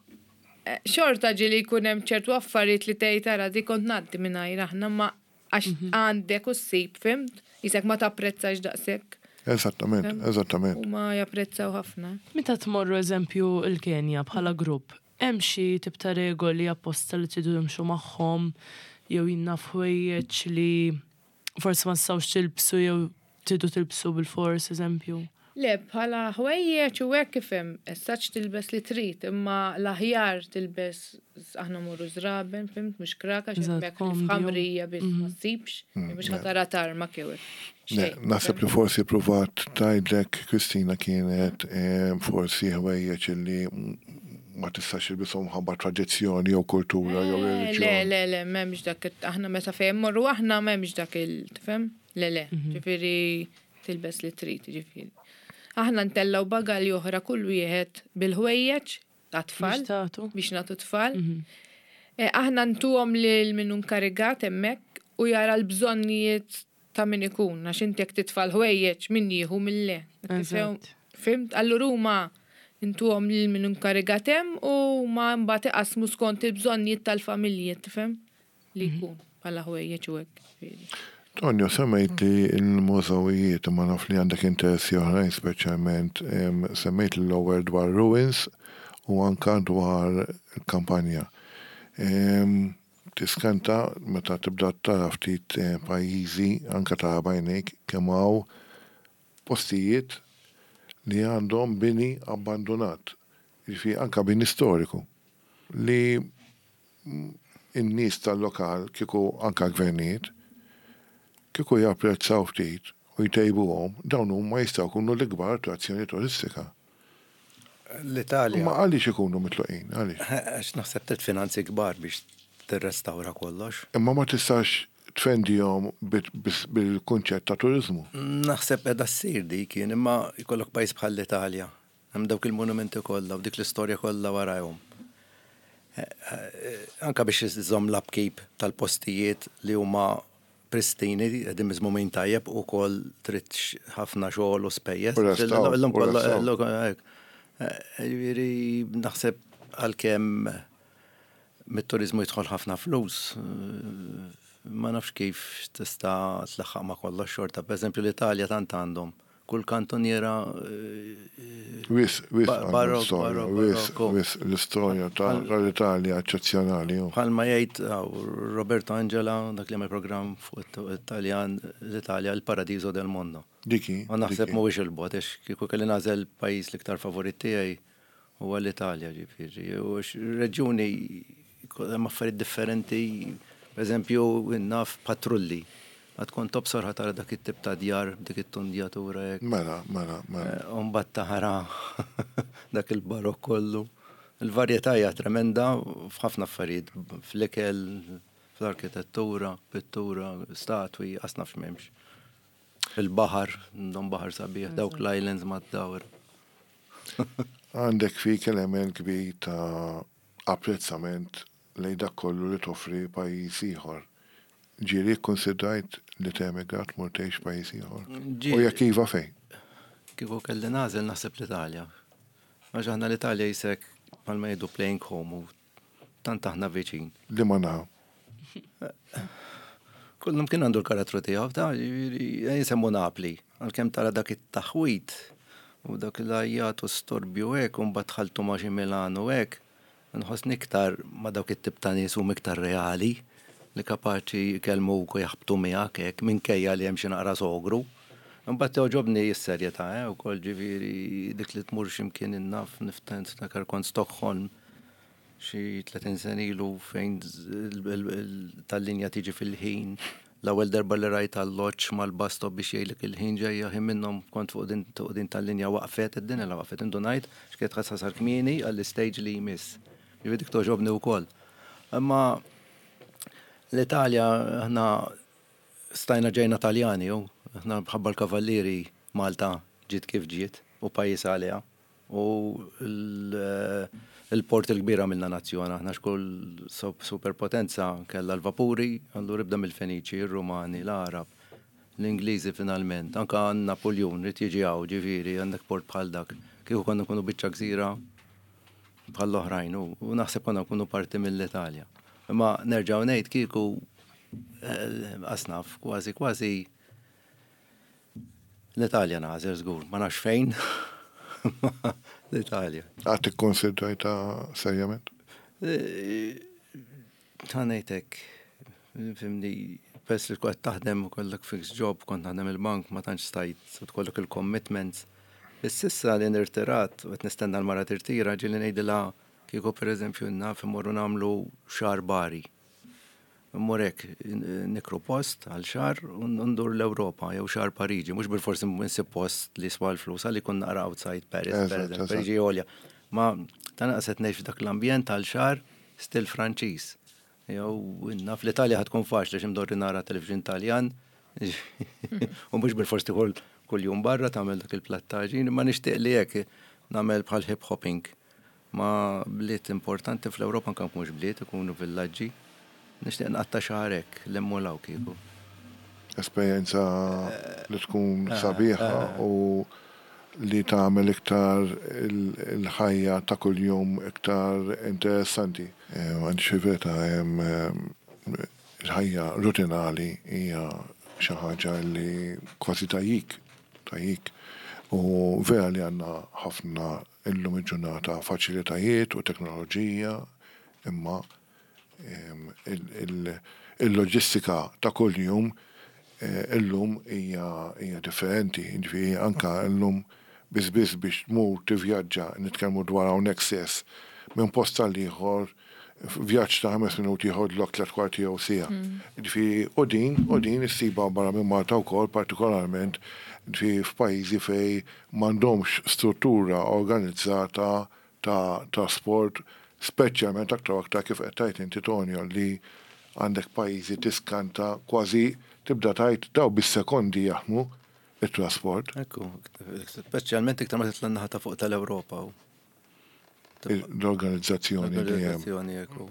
eh, xorta ġieli jkun hemm ċertu affarijiet li tgħid tara di kont ngħaddi mingħajr aħna ma għax għandek u ssib, fhimt? Isek ma tapprezzax daqshekk. Eżattament, eżattament. U ma japprezzaw ħafna. Meta tmorru eżempju il-Kenja bħala grupp, hemm xi tip ta' regoli apposta li tridu timxu magħhom jew jien naf ħwejjeġ li forsi ma tistgħux tilbsu jew tridu tilbsu bil-fors eżempju. Le, bħala ħwejjeġ u hekk ifhem, essaċ tilbes li trid, imma l-aħjar tilbes aħna morru żraben, fhimt, mhux kraka, Eżatt, x'hemmhekk li komdi, f'ħamrija biss ma ssibx, mhux ħa tara tarma kew. Ne, Naħseb li forsi provat tgħidlek Kristina kienet eh, forsi ħwejjeġ li ma tistax tilbishom ħabba tradizzjoni jew kultura jew Le, reliġjon. le, le, m'hemmx dak, it- aħna meta fejn morru aħna m'hemmx dak il, tifhem? Le, le, ġifieri tilbes li trid, ġifieri. Aħna ntellaw bagalji oħra kull wieħed bil-ħwejjeġ ta' tfal. Biex tagħtu. biex nagħtu tfal. Eh, Aħna ntuhom lil min inkarigat hemmhekk u jara l-bżonnijiet ta' min ikun, għax inti jekk titfal ħwejjeġ min jieħu min le. Eżatt. Fhimt? Allura huma intuhom lil min inkarigat hemm u ma mbagħad iqasmu skont il-bżonnijiet tal-familji, tifhem? Li jkun bħala ħwejjeġ u hekk. ġifieri. Tonio, semmejt li l-mużewijiet ma naf li għandek interessi oħrajn speċjalment em, semmejt l-ewwel dwar ruins u anka dwar il-kampanja. Em, Tiskanta meta tibda tara ftit eh, pajjiżi anka tara b'għajnejk kemm hawn postijiet li għandhom bini abbandonat. Jiġifieri anka bini storiku li mm, in-nies tal-lokal kieku anka gvernijiet kieku japprezzaw ftit u jtejbuhom, dawn huma jistgħu jkunu l-ikbar attrazzjoni turistika. L-Italja. Ma għaliex ikunu mitluqin, għaliex? Għax naħseb trid finanzi kbar biex tirrestawra kollox. Imma ma tistax tfendihom bil-kunċett ta' turizmu. Naħseb qiegħda ssir dik kien, imma jkollok pajjiż bħal l-Italja. Hemm dawk il-monumenti kollha u dik l-istorja kollha warajhom. Eh, eh, Anka biex iżomm l-upkeep tal-postijiet li huma pristini, qegħdin miżmumin tajjeb u koll trid ħafna xogħol u spejjeż. U restawr, Illum u kollha- restawr. illum hekk. Eh, Ġifieri naħseb għalkemm mit-turizmu jidħol ħafna flus, eh, ma nafx kif tista' tlaħħaq ma' kollox xorta. Per eżempju l-Italja tant għandhom Kull kantoniera Wisq, wisq, barok, wisq, wisq, l-istorja tal-Italja eċċezzjonali. Bħalma jgħid Roberto Angela, dak li għamel programm fuq Italjan, l-Italja, il-paradiso del mondo. Diki. U naħseb mhuwiex il-bogħod, għax kieku kelli nagħżel pajjiż l-iktar favorit tiegħi huwa l-Italja, ġifieri. U reġjuni hemm affarijiet differenti, per eżempju, naf patrulli. Għad kont tobsor ħa tara dak it-tip ta' djar, dik it-tundjatura hekk. Mela, mela, mela. U mbagħad tara dak il-barok kollu. Il-varjetà hija tremenda f'ħafna affarijiet, fl-ikel, fl-arkitettura, pittura, statwi, qas naf x'm'hemmx. Il-baħar, għandhom baħar sabiħ, dawk l-islands mad-dawr. Għandek fik element kbir ta' apprezzament lejn dak kollu li toffri pajjiż ieħor. Ġieli kkonsidrajt li temigra tmur tgħix pajjiż ieħor? U jekk iva, fejn? Kieku kelli nagħżel, naħseb l-Italja. Għax aħna l-Italja jisek bħalma jgħidu playing home u tant aħna viċin. Li ma naħa? Kullum kien għandu l-karattru tiegħu, ta' jisemmu Napli. Għalkemm tara dak it-taħwit u dak l-għajjat u storbju hekk u mbagħad ħaltu ma' xi Milano hekk, nħossni iktar ma' dawk it-tip ta' nies huma iktar reali li kapaċi jkellmuk u jaħbtu miegħek hekk minkejja li hemm xi naqra sogru. Imbagħad togħġobni s-serjetà eh, ukoll, ġifieri dik li tmur x'imkien, naf niftakar kont Stockholm xi tletin sena ilu fejn tal-linja tiġi fil-ħin. L-ewwel darba li rajt alloġġ mal-bus stop biex jgħidlek il-ħin ġejja, ħin minnhom kont fuq din fuq din tal-linja waqfet, id-dinja la waqfet, indunajt x'kienet ħassar kmieni għall-istage li jmiss. Ġifieri dik togħġobni wkoll. Imma l-Italja, aħna stajna ġejna Taljani, u aħna bħabba l-Kavallieri Malta ġiet kif ġiet u pajjiż għaliha. U il-port il-kbira minna nazzjona, aħna xkull superpotenza kella l-vapuri, allura ibda mill-Feniċi, il-Rumani, l-Arab, l-Ingliżi finalment, anka Napoleon ried jiġi hawn, ġifieri għandek port bħal dak. Kieku konna nkunu biċċa gżira bħall-oħrajn u naħseb konna nkunu parti mill-Italja. Imma nerġgħu ngħid kieku qas naf, kważi kważi l-Italja nagħżel żgur, ma nafx fejn. L-Italja. Għad ikkonsidrajtha serjament? Ta' ngħidlek, fhimni, pers li kont taħdem u kollok fixed job, kont naħdem il-bank, ma tantx stajt, u tkollok il-commitments. Issa li nirtirat, u qed nistenna l-mara tirtira, ġieli ngħidilha kieku per eżempju naf immorru nagħmlu xahar Bari. Immur hekk nikru post għal xahar u ndur l-Ewropa jew xahar Pariġi, mhux bil-forsi nsib post li swa l-flus, għalli kun naqra outside Paris, per eżempju, Pariġi għolja. Ma ta' naqset ngħix f'dak l-ambjent għal xahar stil Franċiż. Jew naf l-Italja ħa tkun faċli x'imdorri nara television Taljan. U mhux bil-forsi tieħu kull jum barra tagħmel dak il-plattaġin, imma nixtieq li hekk nagħmel bħal hip hopping ma' bliet importanti fl-Ewropa, anke mhux bliet, ikunu villaġġi. Nixtieq nqatta' xahar hekk l-emmulaw kieku. Esperjenza li tkun sabiħa u li tagħmel iktar il-ħajja ta' kuljum iktar interessanti. Għandi xi verità, il-ħajja rutinali hija xi ħaġa li kważi tajjik, tajjik. U vera li għandna ħafna illum il-ġurnata faċilitajiet u teknoloġija, imma il-loġistika ta' kuljum illum hija differenti. Ġifieri anka illum biss biss biex tmur tivvjaġġa, nitkellmu dwar hawnhekk stess, minn post għal ieħor, vjaġġ ta' ħames minuti jieħodlok tliet kwarti jew siegħa. Ġifieri u din u din issiba barra minn Malta wkoll, partikolarment ġifieri f'pajjiżi fejn m'għandhomx struttura organizzata ta' trasport, speċjalment aktar u aktar kif qed tgħid inti, Tonio, li għandek pajjiżi tiskanta, kważi tibda tgħid daw bis-sekondi jaħdmu it-trasport. Ekku, speċjalment iktar ma titla' naħa ta' fuq tal-Ewropa. L-organizzazzjoni li hemm. L-organizzazzjoni, ekku.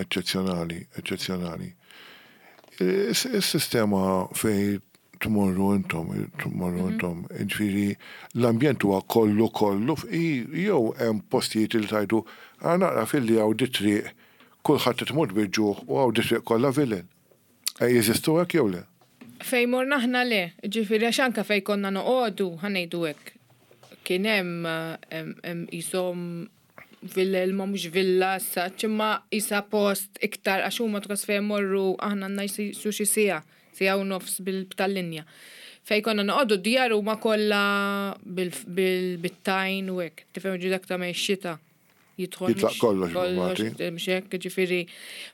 Eċċezzjonali, eċċezzjonali. Is-sistema fej tmorru intom, tmorru intom, ġifieri l-ambjent huwa kollu kollu, jew hemm postijiet li tajdu għa naqra fil-li hawn di triq kulħadd qed imut bil-ġuħ u hawn di triq kollha vilel? Jeżistu hekk jew le? Fej morna aħna le, ġifieri għax anka fej konna noqogħdu, ħa ngħidu hekk. Kien hemm hemm- hemm qishom villa, ma mhux villa saċ, imma isa post iktar għax huma tkas fejn morru aħna għandna jisu xi siegħa, siegħa u nofs bil-tal-linja. Fej konna noqogħdu djar huma kollha bil-tajn u hekk. Tifhem ġi dak ta' ma xita jidħol. Jitlaq mhux- kollox, kollox, Malti. mhux hekk, ġifieri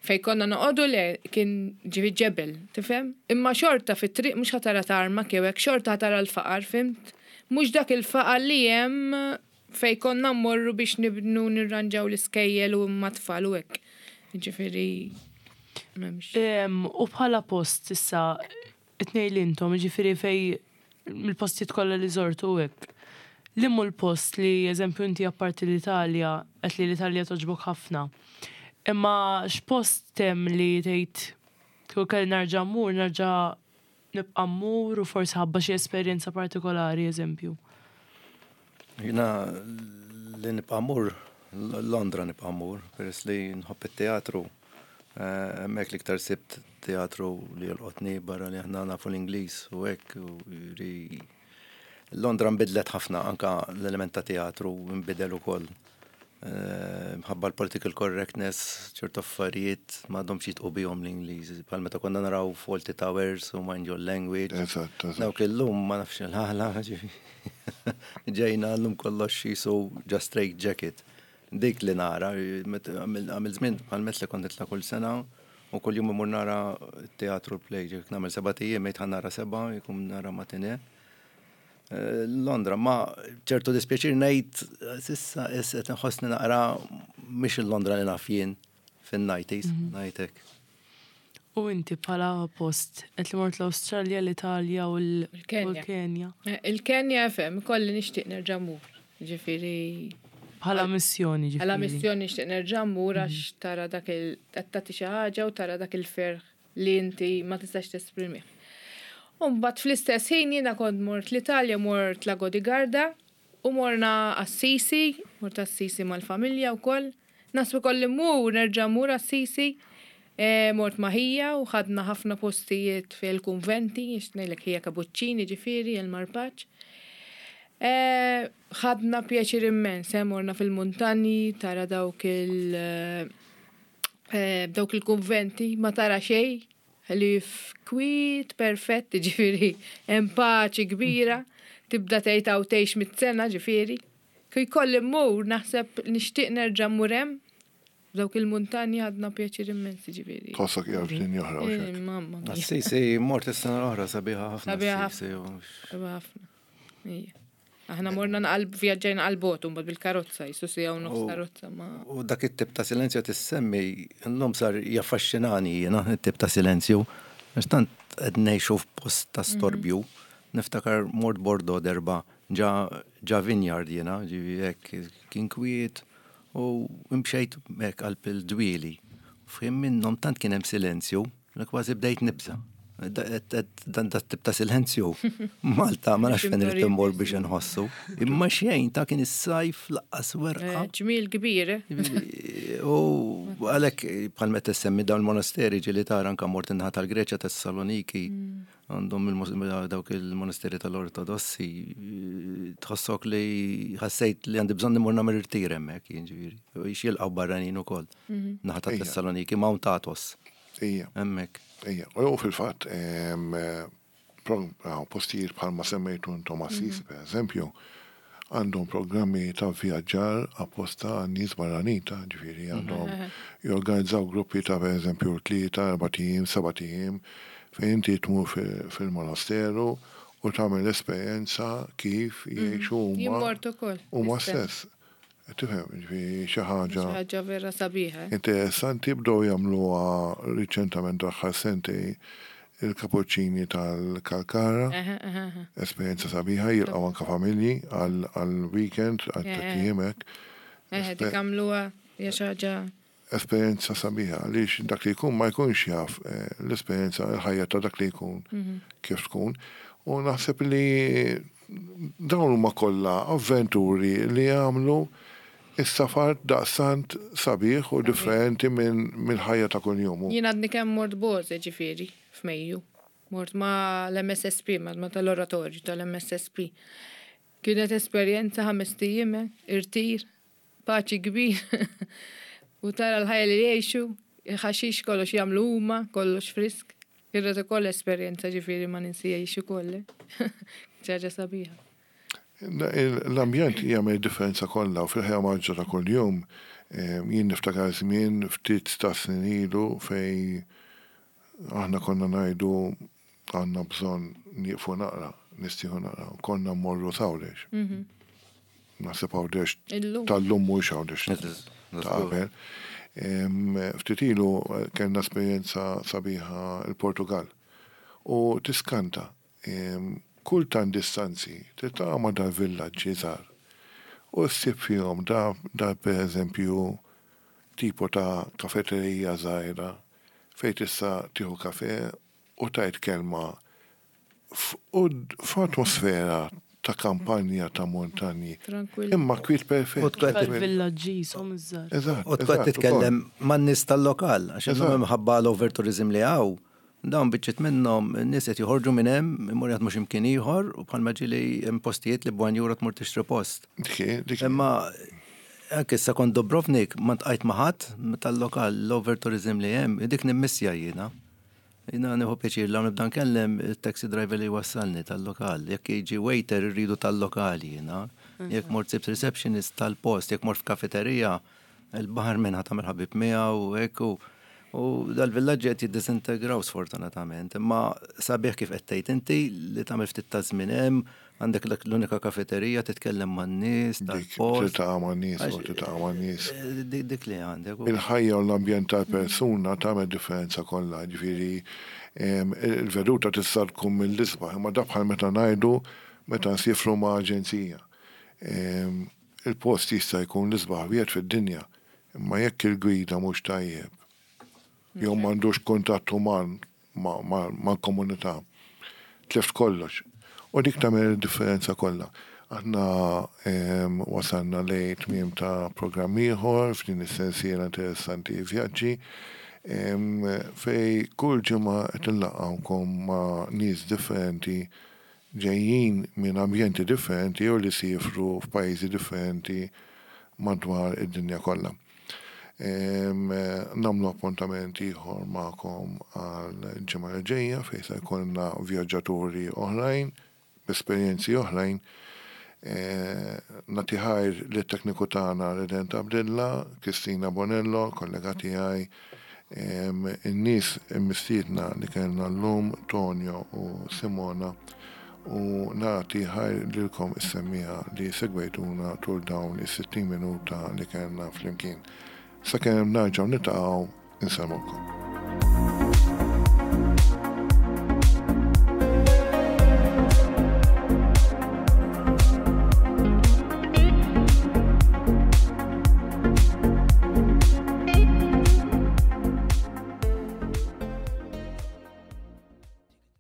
fej konna noqogħdu le kien ġifieri ġebel, tifhem? Imma xorta fit-triq mhux ħa tara tarmac jew hekk, xorta ħa tara l-faqar, fhimt? Mhux dak il-faqar li hemm fej konna mmorru biex nibnu nirranġaw l-iskejjel u mat-tfal u hekk. Ġifieri m'hemmx. Em, U bħala post issa, it-tnejn li intom, ġifieri fej mill-postijiet kollha li żortu u hekk. Liema hu l-post li, eżempju, inti apparti l-Italja, qed li l-Italja toġbok ħafna. Imma x'post hemm li tgħid kieku kelli nerġa' mmur, nerġa' nibqa' mmur u forsi ħabba xi esperjenza partikolari, eżempju. Jiena li nibqa' mmur, Londra nibqa' mmur, peress li nħobb it-teatru. Eh, Hemmhekk l-iktar sibt teatru li jolqotni barra li aħna nafu l-Ingliż u hekk u ri Londra nbidlet ħafna anka l-element ta' teatru nbidel ukoll. Eh, Mħabba l-political correctness, ċertu affarijiet m'għadhomx jidħqu bihom l-Ingliż. Bħal meta konna naraw Fawlty Towers u Mind Your Language. Eżatt, eżatt. Dawk illum ma nafx il-ħala, ġejna llum kollox jisu just straight jacket. Dik li nara, għamil żmien bħal met li kont nitla' kull sena u kull jum imur nara teatru play, ġek nagħmel seba' ijiem, ngħid ħa nara seba', jkun nara matinee. Eh, Londra, ma ċertu dispjaċir ngħid s'issa qed nħossni naqra mhix il-Londra li naf jien fin-nineties, ngħidlek. U inti bħala post, qed li mort l-Awstralja, l-Italja u l- u Il-Kenja. l-Kenja. Eh, Il-Kenja FM, kolli nixtieq nerġa' mmur. Ġifieri Bħala missjoni, ġifieri. Għala missjoni nixtieq nerġa' mmur għax tara dak il tagħti xi ħaġa u tara dak il-ferħ li inti ma tistax tesprimi. U mbagħad fl-istess ħin jiena kont mort l-Italja, mort Lago di Garda u morna Assisi, mort Assisi mal-familja wkoll. Naħseb kolli mmur nerġa' mmur Assisi. E, mort ma' ħija u ħadna ħafna postijiet fil-kunventi, ngħidlek ħija kapuċċini ġifieri, il-Marpaċ. E, ħadna pjaċir immens, eh, morna fil-muntanji, tara dawk il- eh, dawk il-kunventi, ma tara xej, li f'kwiet perfett, ġifieri, hemm paċi kbira, tibda tgħid hawn tgħix mit-sena, ġifieri. Kif kolli mmur, naħseb nixtieq nerġa' mmur hemm, dawk il-muntanji ħadna pjaċir immens, ġifieri. Tħossok qiegħed f'dinja oħra u Eh, xek. Mamma mia. Assisi, mort is-sena l-oħra sabiħa ħafna. Sabiħa Assisi, u- Sabiħa ħafna. Ija. Aħna morna naqal vjaġġajna għal-bot, mbagħad bil-karozza, jisu siegħa u nofs U- karozza, ma. U dak it-tip ta' silenzju tissemmi, l-lum sar jaffaxxinani jiena it-tip ta' silenzju. Għax tant qed ngħixu f'post ta' storbju. Niftakar mort Bordeaux darba ġa ġa vineyard jiena, ġivi hekk kien kwiet u mxejt hekk qalb il-dwieli. F'ħin minnhom tant kien hemm silenzju, li kważi bdejt nibża. Da- Dan dat tip ta' silenzju. Malta ma nafx fejn irid immur biex inħossu. Imma xejn ta' kien is-sajf lanqas werqa. Eh, Ġmil kbir, eh? U għalek bħal meta semmi dawn il-monasteri ġili tara anka mort in-naħa tal-Greċja Tessaloniki għandhom il-mos- dawk il-monasteri tal-Ortodossi tħossok li ħassejt li għandi bżonn imur nagħmel irtir hemmhekk jiġifieri. Jilqgħu barranin ukoll. Naħa ta' Ija. Tessaloniki Mount Athos Ija, hemmhekk. ija. U fil-fatt, em, eh, pro- ah, postijiet bħalma semmejtu intom Assisi, per eżempju, għandhom programmi ta' vjaġġar apposta għan-nies barranin ta' ġifieri għandhom jorganizzaw gruppi ta' per eżempju tlieta, erbat ijiem, sebat ijiem, fejn inti tmur fil- fil-monasteru u tagħmel esperjenza kif jgħixu Jien huma mort ukoll. huma l-istess. stess. Tifhem, ġifieri xi ħaġa Xi ħaġa vera sabiħa. eh? interessanti bdew jagħmluha riċentament aħħar sentej il-kapuċċini tal-Kalkara, Aha, aha, aha. esperjenza sabiħa jilqgħu anka familji għal weekend għal Eh, tlett ijiem hekk. Eh, dik għamluha hija xi ħaġa Esperjenza sabiħa għaliex dak li jkun ma jkunx jaf eh, l-esperjenza l-ħajja ta' dak li jkun kif tkun. U naħseb li dawn huma kollha avventuri li jagħmlu is-safar daqsant sabiħ u differenti minn mill-ħajja ta' kuljum. Jien għadni kemm mort Boze ġifieri f'Mejju. Mort ma l-M S S P, ma ma tal-oratorju tal-M S S P. Kienet esperjenza ħamest ijiem, irtir, paċi kbir. U tara l-ħajja li jgħixu, ħaxix kollox jagħmlu huma, kollox frisk. Kienet ukoll esperjenza, ġifieri ma ninsihiex ukoll. Ħaġa sabiħa. L-ambjent jagħmel differenza kollha u fil-ħajja mgħaġġla ta' kuljum jien niftakar żmien ftit ta' snin ilu fej aħna konna ngħidu għandna bżonn nieqfu naqra, nistrieħu naqra, konna mmorru Għawdex. Naħseb Għawdex Illum. tal-lum mhux Għawdex ta' qabel. Em, Ftit ilu kellna esperjenza sabiħa il-Portugal. U tiskanta, em, kultant distanzi, tiltaqa' ma' dal-villaġġi żgħar. U ssib fihom da, da per eżempju tipo ta' kafeterija żgħira fejn tista' tieħu kafe u tgħid kelma f- u d- f'atmosfera ta' kampanja ta' montanji. Tranquilli. Imma kwiet perfett. U tkun qed Villaġġi jisom iż-żgħar. Eżatt. U tkun qed titkellem man-nies tal-lokal, għax illum Eżatt. minħabba l-overtourism li hawn, dawn biċċiet minnhom n-nies qed joħorġu minn hemm, imur jaħdmu x'imkien ieħor u bħalma ġieli hemm postijiet li b'one euro tmur tixtri post. Dik, dik. Imma anke issa kont Dubrovnik, ma ltqajt ma' ħadd tal-lokal, l-overtourism li hemm, dik nimmissja jiena. Jiena nieħu pjaċir la nibda nkellem il-taxi driver li wassalni tal-lokal. Jekk jiġi waiter, irridu tal-lokal jiena. Jekk mort sibt receptionist tal-post, jekk mort f'kafeterija, il-barman ħa tagħmel ħabib miegħu u hekk u u dal-villaġġi qed jiddisintegraw sfortunatament. Imma sabiħ kif qed tgħid inti li tagħmel ftit ta' żmien hemm, għandek dak l-unika kafeterija, titkellem man-nies Dik, tal-post. tiltaqa' man-nies, u Għax- tiltaqa' man-nies. Eh, Dik dik li għandek. u- Il-ħajja u l-ambjent tal-persuna tagħmel differenza kollha, ġifieri em, il-veduta tista' tkun mill-isbaħ, imma da bħal meta ngħidu meta nsifru ma' aġenzija. Em, Il-post jista' jkun l-isbaħ wieħed fid-dinja, imma jekk il-gwida mhux tajjeb, jew m'għandux kuntatt uman ma' ma- mal-komunità, tlift kollox. U dik tagħmel differenza kollha. Aħna em, wasalna lejn tmiem ta' programm ieħor f'din is-sensiela interessanti Vjaġġi em, fej kull ġimgħa qed inlaqqawkom ma' nies differenti ġejjin minn ambjenti differenti jew li sifru f'pajjiżi differenti madwar id-dinja kollha. Em, Nagħmlu appuntament ieħor magħkom għal ġimgħa li ġejja fejn se jkollna vjaġġaturi oħrajn b'esperjenzi oħrajn. Eh, Nagħti ħajr lit-tekniku tagħna Redent Abdilla, Kristina Bonello, kollega tiegħi, em, in-nies immistiedna li kellna llum, Tonio u Simona, u nagħti ħajr lilkom is-semmiegħa li segwejtuna tul dawn is-sittin minuta li kellna flimkien. Sakemm nerġgħu niltaqgħu, insellmulkom.